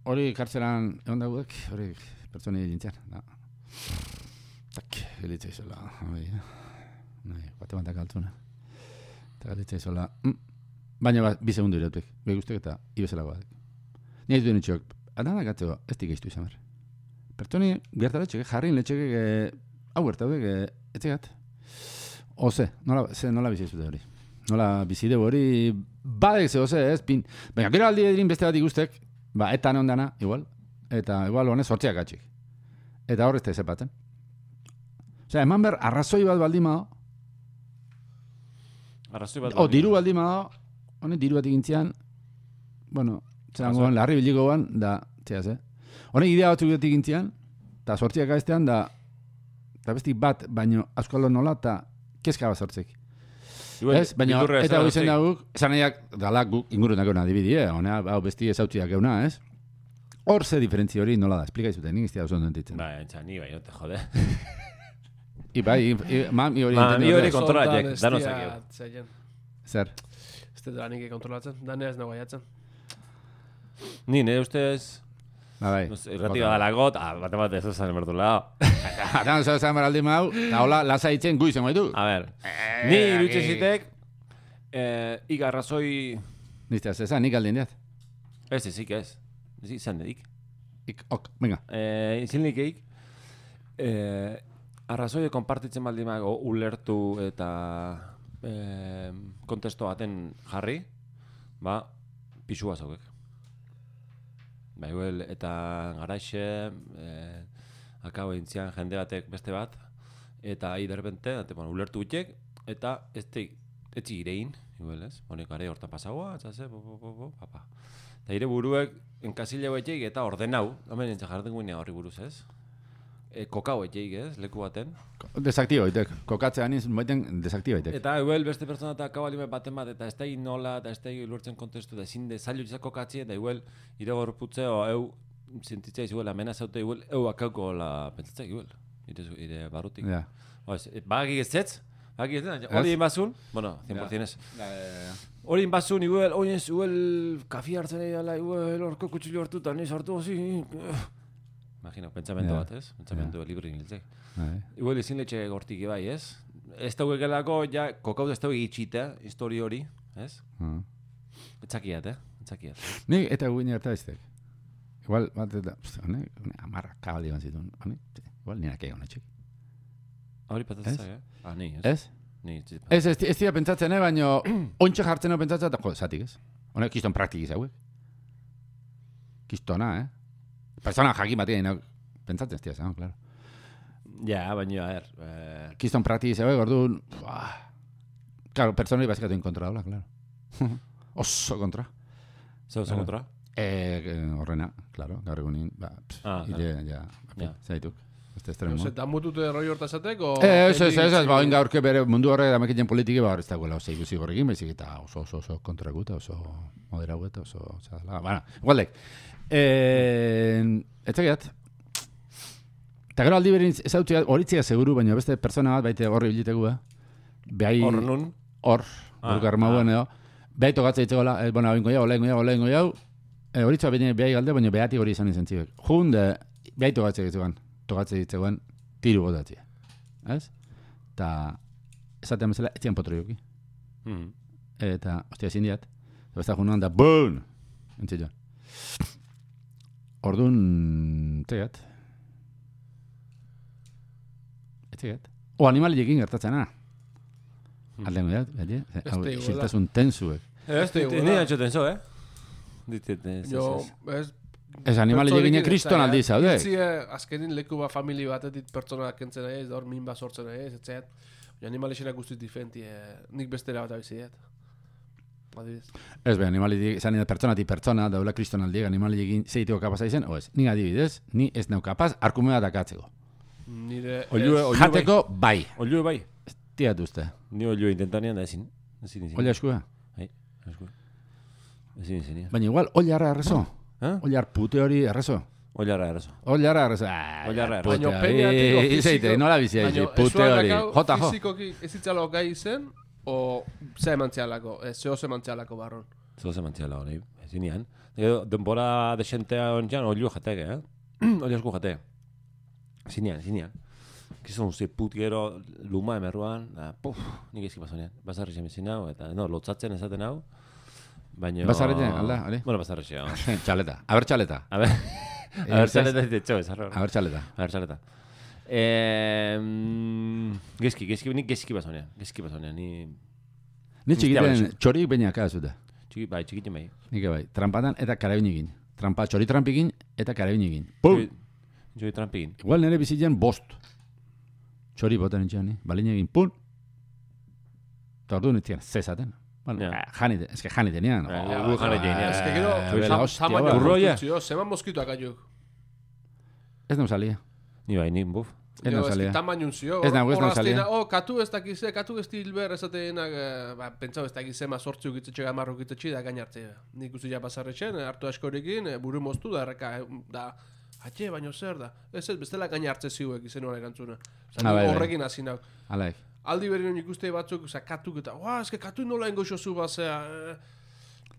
Hori kartzelan egon dagoek, hori pertsoni hilintzean, da. Tak, hilitza izola, hori, nahi, bate bantak altzuna. Eta hilitza izola, mm. Baina ba, bi segundu irautek, behi guztek eta ibezelagoa. Ni ez duen itxok, adanak atzeko, ez dik eiztu izan behar. Pertoni gertaletxek, jarrin letxek, e, hau gertaudek, e, etxegat. Oze, nola, ze, nola bizi zute hori. Nola bizi dugu hori, badek ze oze, ez, pin. Baina, gero aldi edin beste bat ikustek, ba, eta ondana, igual, eta igual honez sortziak atxik. Eta horrez te zepaten. Osea, eman behar, arrazoi bat baldimao, Arrazoi bat. o, diru baldimao, honek diru bat egintzean, bueno, zelangoan, larri bilikoan, da, txeaz, eh? Honek idea batzuk dut egintzean, eta sortziak aiztean, da, eta bestik bat, baino, askolo nola, eta kezka bat sortzek. Igual, Ez, baina bildurra eta esan hori zen hasi. dauk, esan nahiak dala guk ingurunako adibidi, eh? Honea, hau besti ezautziak euna, ez? Hor ze diferentzia hori nola da, esplika izuten, nik iztia oso ondo entitzen. Ba, entza, ni bai, no te jode. I bai, i, i, ma, mi hori Ma, mi hori entenditu. kontrolatzek, dano zakio. Zeien. Zer? Ez dut danik kontrolatzen, danea ez nago aiatzen. Ni, nire ustez, Ba, bai. no sé, irrati badalagot, ah, bate bat ez zan emertu lao. Atan oso esan beraldi mau, eta hola, lasa itzen guizen gaitu. A ver, ni irutxe zitek, eh, igarrazoi, Nizte, zezan, nik aldien diat. ez ezik ez, ez izan dedik. Ik, ok, venga. Eh, izilnikeik, eh, arrazoie konpartitzen baldimago ulertu eta eh, kontesto baten jarri, ba, pisua zaukek. Ba, igual, eta garaixe, eh, akabo intzian jende batek beste bat, eta ahi derbente, eta, bueno, ulertu gutiek, eta ez te, etzi irein, igual, ez? Honek gare hortan pasagoa, etxase, bo, bo, bo, bo, papa. Eta ire buruek, enkasile baiteik eta ordenau, hemen entza jarten guinea horri buruz, ez? E, kokau baiteik, ez? Leku baten. Desaktibo itek. Kokatzean iz, baiten desaktibo itek. Eta igual beste pertsona eta akabalime baten bat, eta ez da nola, eta ez da lortzen kontestu, da ezin de zailu izak kokatzi, eta igual ire gorputzeo, eu, sentitzea izuela, mena zaute, igual, eu akauko la pentsatzea, igual, ire, ire barrutik. Ja. Oez, bagik ez zetz, bagik ez zetz, hori inbazun, bueno, cien por cien ez. Hori inbazun, igual, oinez, igual, kafi hartzen egin dela, igual, orko kutxillo hartuta, niz hartu zi. Imagino, pentsamentu Ja. bat, ez? Pentsamentu libre ingiltzek. Bai. Igual ezin letxe gortik bai, ez? Ez daukegelako, ja, kokau ez dauke itxita, histori hori, ez? Ah. Etzakiat, eh? Etzakiat. Nik eta guine harta iztek. Igual, bat eta, honek, honek, amarra kabali ban zituen. Honek, igual, nirak egon etxek. Hori Ez? patatzak, eh? Ah, ni, ez? Ez? Ni, ez. Ez, ez, ez dira pentsatzen, eh, baino, ontsa jartzen hau pentsatzen, eta jo, zatik ez. Honek, kiston praktiki zauek. Kistona, eh? Persona jakin batia, no, pentsatzen ez dira, zan, claro. Ja, baina, a ver, eh, Kiston praktiki zauek, orduan, buah. Claro, persona hori bazikatu en kontra dola, claro. Oso kontra. zeu Claro. kontra? Eh, horrena, claro, gaur egunin, ba, pff, Ah, ire, ja, Ja. zaituk. Este No estremo. sé, damutute roi hortazatek, o... Ez, ez, ez, ez, ba, oin gaurke bere mundu horre damekiten politiki, ba, hor ez dagoela oso ikusi gorrekin, baizik eta oso, oso, oso kontraguta, oso moderaguta, oso, oso, la, bueno, igualdek. Eh, ez tegiat. Eta gero aldi berin ezautzea, horitzea seguru, baina beste persona bat baite horri bilitegu, eh? Behai, Hor nun? hor, Ah, hor garmauen edo, behai tokatzea itzegoela, eh, bueno, oingo jau, lehengo jau, lehengo jau, eh, horitzea behine behai galde, baina behati hori izan izan zibek. Junde, behai tokatzea itzegoen, tokatzea itzegoen, tiru gotatzea. Ez? Eta, esatean bezala, etzian potro joki. Mhm. Eta, ostia, ezin diat. Eta besta junuan da, boon! Entzit joan. Orduan, etzegat. Etzegat. O animaliekin gertatzena. Aldengo diat, beti? Hau, iguala. isiltasun tensuek. Ez, Este, ni iguala. antxoten zo, eh? Ditet, ez, Jo, ez, ez. ez... Ez animaliekin kriston aldi zaude. Itzie, azkenin leku ba famili batetik pertsona kentzen nahi ez, da hor min bat sortzen nahi ez, etxeat. Animalixenak guztiz diferenti, eh, nik bestera bat abizideat. Adibidez. Ez be, animaliekin, zan pertsonatik pertsona, daula kriston aldiek animaliekin zeiteko kapaz aizen, o ez, ni adibidez, ni ez nau kapaz, arkumea dakatzeko. Nire... Oilue, ez- oilue Jateko, bai. Olio bai. Tiat uste. Ni olio intentanean da ezin. Ezin, ezin. Oila eskua. Bai, esku. Ezin, ezin, ja. Baina igual, oilarra errezo. Eh? Oilar pute hori errezo. Oilarra eraso. Oilarra errezo. Ah, Oilarra errezo. pute Baina hori. peñatik o Izeite, fiziko... nola bizia izi, Baina pute esuan hori. dakau, Jota, jo. Fizikoki ez itzalo gai zen, o ze emantzialako, ez zeo ze emantzialako barron. Zer ze mantziala hori, ezinean. Gero, denbora desentea ontsan, olio jatek, eh? Olio esku jate. Ezinean, ezinean. Kizun, ze put gero luma emerruan, da, puf, nik ezki pasonean. Bazarri zemezin hau, eta, no, lotzatzen esaten hau. Baina... Bazarretzen, alda, hori? Bueno, bazarri xe, Txaleta. Aber txaleta. A ver, a ver, txaleta ez ditxo, ez arro. Aber txaleta. A ver, txaleta. Eh, mm, gezki, gezki, nik gezki basonean, gezki basonean, ni... Ni Guztia txikiten baizik. txorik bainaka zute. Txiki, bai, txikitin bai. Nik bai, trampatan eta karabinigin. Trampa, txori trampikin eta karabinigin. Pum! Joi trampigin. Igual nire bizitzen bost. Txori botan entxean, eh? Balin egin, pum! Eta ordu nintzen, zezaten. Bueno, Ja. eh, janite, eske janite nian. Ja, Oh, gu janite nian. Ez que gero, eh, bela tam- hostia, tamaina ba. Urroia. kontutzio, zeman moskituak aiuk. Ez non salia. Ni bai, ni buf. Ez Jo, nauzalia. eski tamainun zio. Ez nago, ez hor nauzalia. aztena, Oh, katu ez dakize, katu ez dilber ezatenak, eh, ba, pentsau ez dakize, ma sortzi ukitzatxe gamarru ukitzatxe da gainartze. Nik uzila basarretxen, hartu askorekin, eh, buru moztu da, erreka, eh, da, atxe, baino zer da. Ez ez, bestela gainartze ziuek izen hori erantzuna. Osa, Ah, bai, bai. horrekin hasi nauk. Alaik. Aldi berri ikuste batzuk, oza, katuk eta, ua, eske katu nola engoxo zu bazea. Eh,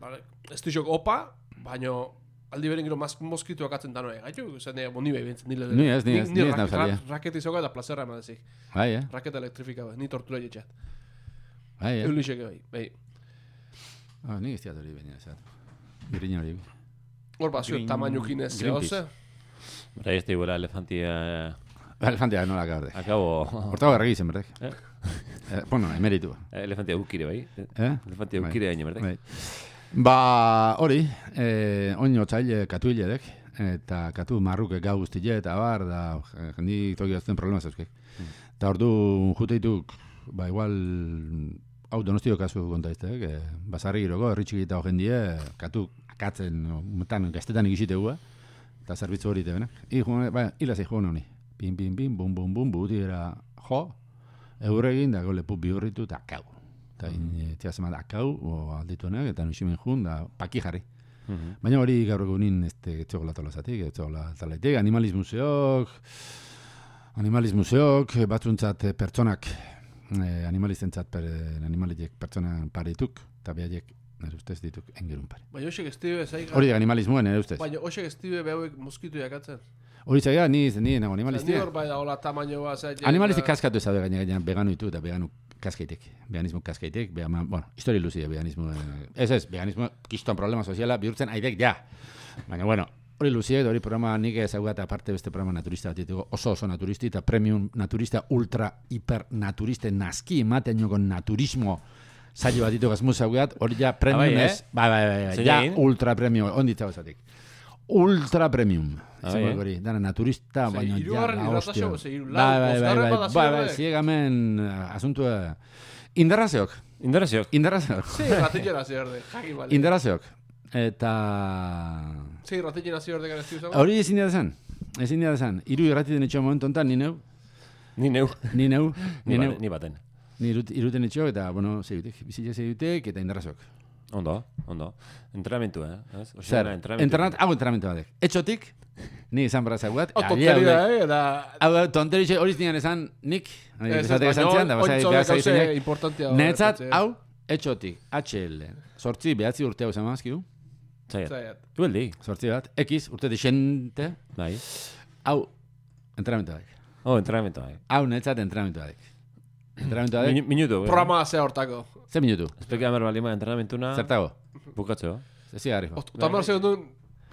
vale, ez dixok opa, baino, aldi berin gero moskituak atzen da noe. Gaitu, zen ega, ni behi bintzen, nile. Ni ez, ni ez, ni ez nauzalia. Raketi zoka eta plazerra emadezik. Bai, eh? Raketa elektrifika bai, ni tortura jetxat. Bai, eh? Eulisek bai, bai. Ah, ni ez diat hori baina, esat. Birriña hori. Hor bat, zuet tamainukin ez zehose. Bera, ez da elefantia... Elefantia nola gaurde. Akabo... Hortago erregi zen, berdek. Eh? Eh, bueno, emeritu. Elefantia ukire, bai? Eh? Elefantia ukire hain, berdek? Bai. Ba, hori, eh, oin otzaile katu hiledek, eta katu marruke gau guztile, eta bar, da, jendik toki azten problema zauzkek. Eta ordu juteituk, ba, igual, hau donostio kasu konta iztek, eh, basarri giroko, erritxik eta jendie, katu akatzen, metan, gaztetan ikisitegu, eta zerbitzu hori tebenak. Ba, hilaz ego honi. Pin, pin, pin, bum, bum, bum, buti era jo, euregin, da gole pup bihurritu, eta kau. Eta mm. tia zemat akau, o aldituenak, eta nuximen jun, da paki jarri. Mm -hmm. Baina hori gaur egunin ez txokola tolazatik, ez txokola talaitik, animalismuseok, animalismuseok, batzuntzat pertsonak, eh, animalistentzat per, animalitek pertsona parituk, eta behaiek, nire ustez dituk, engerun pari. Baina hoxek estibe zaiga... Hori animalismoen, nire ustez. Baina hoxek estibe behauek moskitu jakatzen. Hori zaiga, ni, ni nago animalistia. Ni hor bai da, hola tamaino bat zaiga... Animalistik kaskatu ez da gaina gaina vegano ditu eta vegano kaskaitek. Veganismo kaskaitek, bueno, historia luzia veganismo. Ez ez, veganismo kiston problema soziala bihurtzen aidek ja. Baina bueno, hori luzia hori programa nik ezaguta eta aparte beste programa naturista bat ditugu, oso oso naturisti eta premium naturista ultra hiper naturiste naski ematen con naturismo. Saio bat ditu gazmuz ezagutat, hori ja premium ez. Bai, bai, bai, ja ultra premium, onditza bazatik. Ultra premium. Zer hori, dana naturista, baina ja la hostia. Bai, bai, bai, bai, bai, ziegamen asuntua. Indarrazeok. Indarrazeok. Indarrazeok. Sí, ratillera ziorde, jakin bali. Indarrazeok. Eta... Sí, ratillera ziorde gara estiu zago. Hori ezin dira zen. Ezin dira zen. Iru irrati den etxo momentu ontan, ni neu. Ni neu. Ni neu. Ni neu. Ni baten. Ni iruten etxo eta, bueno, zeiutek. Bizitza zeiutek eta indarrazeok. Ondo, ondo. Entrenamentu, eh? Zer, entrenat, hau entrenamentu batek. Etxotik, ni izan barra zaguat. O tonteria, eh? Da... Hau, tonteria, hori zinean esan nik. Ez ez, baina ointzole gauze importantia. Netzat, hau, etxotik, H L. Sortzi, behatzi urte hau zama azkidu. Zaiat. Dueldi. Sortzi bat. X, urte dixente. Bai. Hau, entrenamentu batek. Oh, entrenamentu batek. Hau, netzat entrenamentu batek. Entrenamentu batek. Minutu. Programa ze hortako. Ze minutu? Espeka hamar balima entrenamentu-na... Zertago? Bukatzeo. Zezi garri. Otamar segundun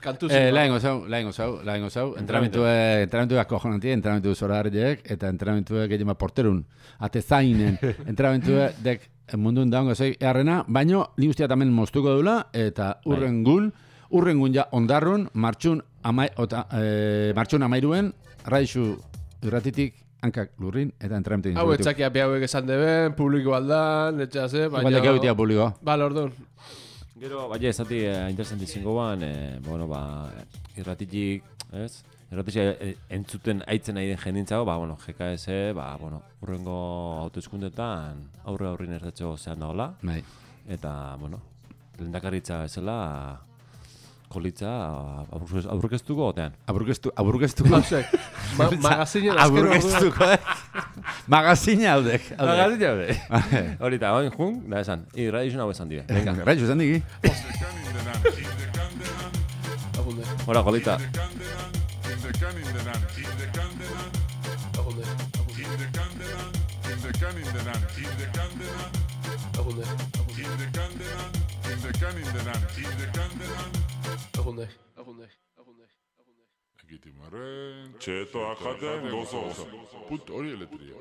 kantu zin. Lahengo zau, lahengo zau, lahengo zau. Entrenamentu bat kojonanti, entrenamentu zora harriek, eta entrenamentu gehiago porterun, ate zainen, entrenamentu dek mundun daungo zei eharrena, baino, ni guztia tamen moztuko dula, eta urrengun, urrengun ja ondarrun, martxun, amai, ota, e, martxun amairuen, raixu irratitik, hankak lurrin, eta entrenamentu egin. Hau, etxakia behauek esan deben, publiko aldan, etxase, baina... Igual dekeu itia publiko. Bale, orduan. Gero, baina ez zati eh, interesanti zingoan, eh, bueno, ba, irratitik, ez? Irratitik eh, entzuten aitzen nahi den jendintzago, ba, bueno, G K S, ba, bueno, urrengo autoeskundetan aurre aurrin erratxo zehan dagoela. Bai. Eta, bueno, lehendakaritza ezela, kolitza aurkeztuko otean. Aurkeztu, aurkeztuko. Ma, magazinen azken aurkeztuko, eh? Magazine aldek. Magazine aldek. Horita, oin jun, da esan. I radiozun hau esan dire. Venga. Radiozun esan digi. Hora, kolita. Agunde, agunde, agunde, agunde. Ekitimaren, txeto akaten gozo. Put hori eletria.